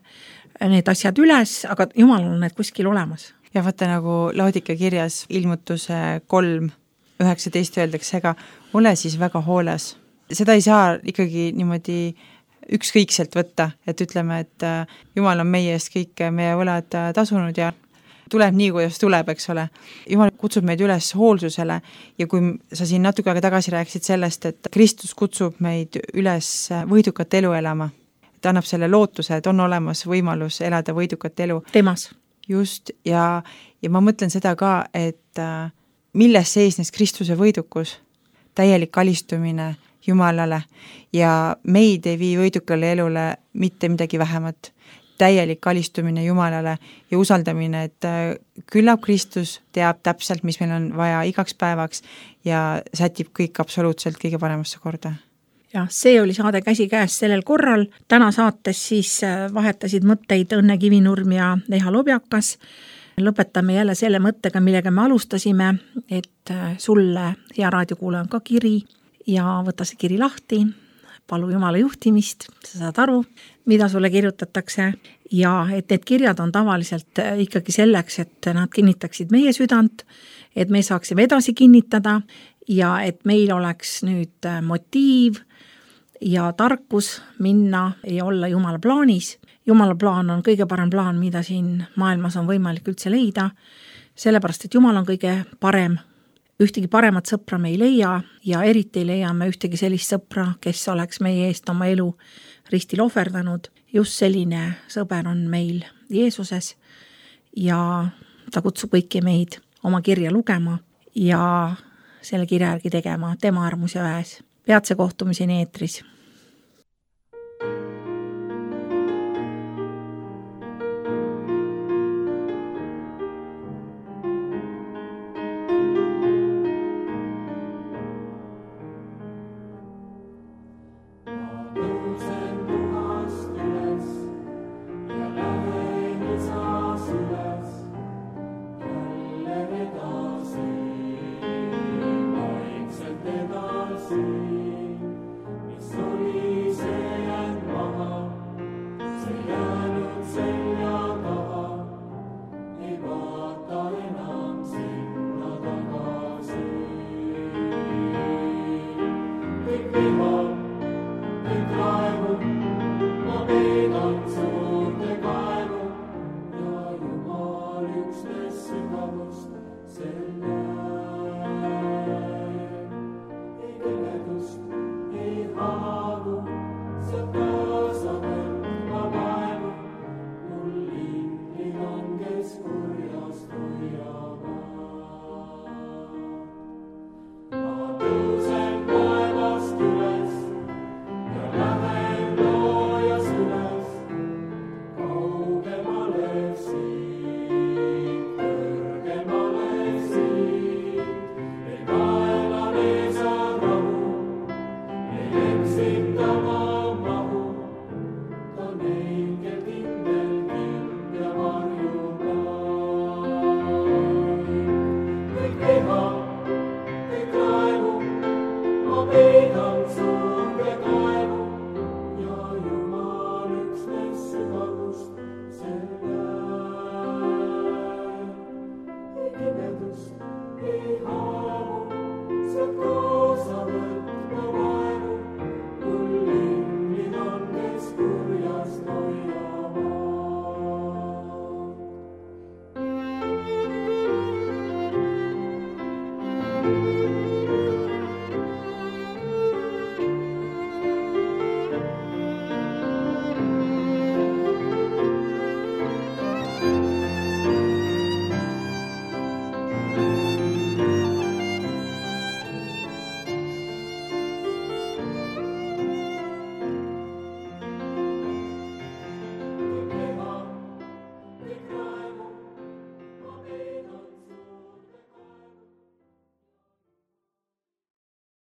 need asjad üles, aga Jumalal on need kuskil olemas. Ja vaata, nagu Laodike kirjas ilmutuse 3:19 öeldakse, ega ole siis väga hooles. Seda ei saa ikkagi niimoodi ükskõikselt võtta, et ütleme, et Jumal on meie eest kõik meie võlad tasunud ja tuleb nii, kuidas tuleb, eks ole. Jumal kutsub meid üles hoolsusele ja kui sa siin natuke aega tagasi rääkisid sellest, et Kristus kutsub meid üles võidukat elu elama, et annab selle lootuse, et on olemas võimalus elada võidukat elu. Temas. Just, ja ma mõtlen seda ka, et milles seisnes Kristuse võidukus, täielik alistumine Jumalale ja meid ei vii võidukale elule mitte midagi vähemat. Täielik alistumine Jumalale ja usaldamine, et küllap Kristus teab täpselt, mis meil on vaja igaks päevaks ja sätib kõik absoluutselt kõige paremasse korda. Ja see oli saade Käsikäes sellel korral. Täna saates siis vahetasid mõtteid Õnne Kivinurm ja Leha Lobjakas. Lõpetame jälle selle mõttega, millega me alustasime, et sulle, hea raadiokuulaja, on ka kiri ja võta see kiri lahti, palu Jumala juhtimist, sa saad aru, mida sulle kirjutatakse ja et need kirjad on tavaliselt ikkagi selleks, et nad kinnitaksid meie südant, et me saaksime edasi kinnitada ja et meil oleks nüüd motiiv ja tarkus minna ja olla Jumala plaanis. Jumala plaan on kõige parem plaan, mida siin maailmas on võimalik üldse leida, sellepärast, et Jumal on kõige parem. Ühtegi paremat sõpra me ei leia ja eriti ei leia me ühtegi sellist sõpra, kes oleks meie eest oma elu ristil ohverdanud. Just selline sõber on meil Jeesuses ja ta kutsub kõiki meid oma kirja lugema ja selle kirja järgi tegema tema armus ja väes. Peatse kohtumiseni eetris. Sügavust selle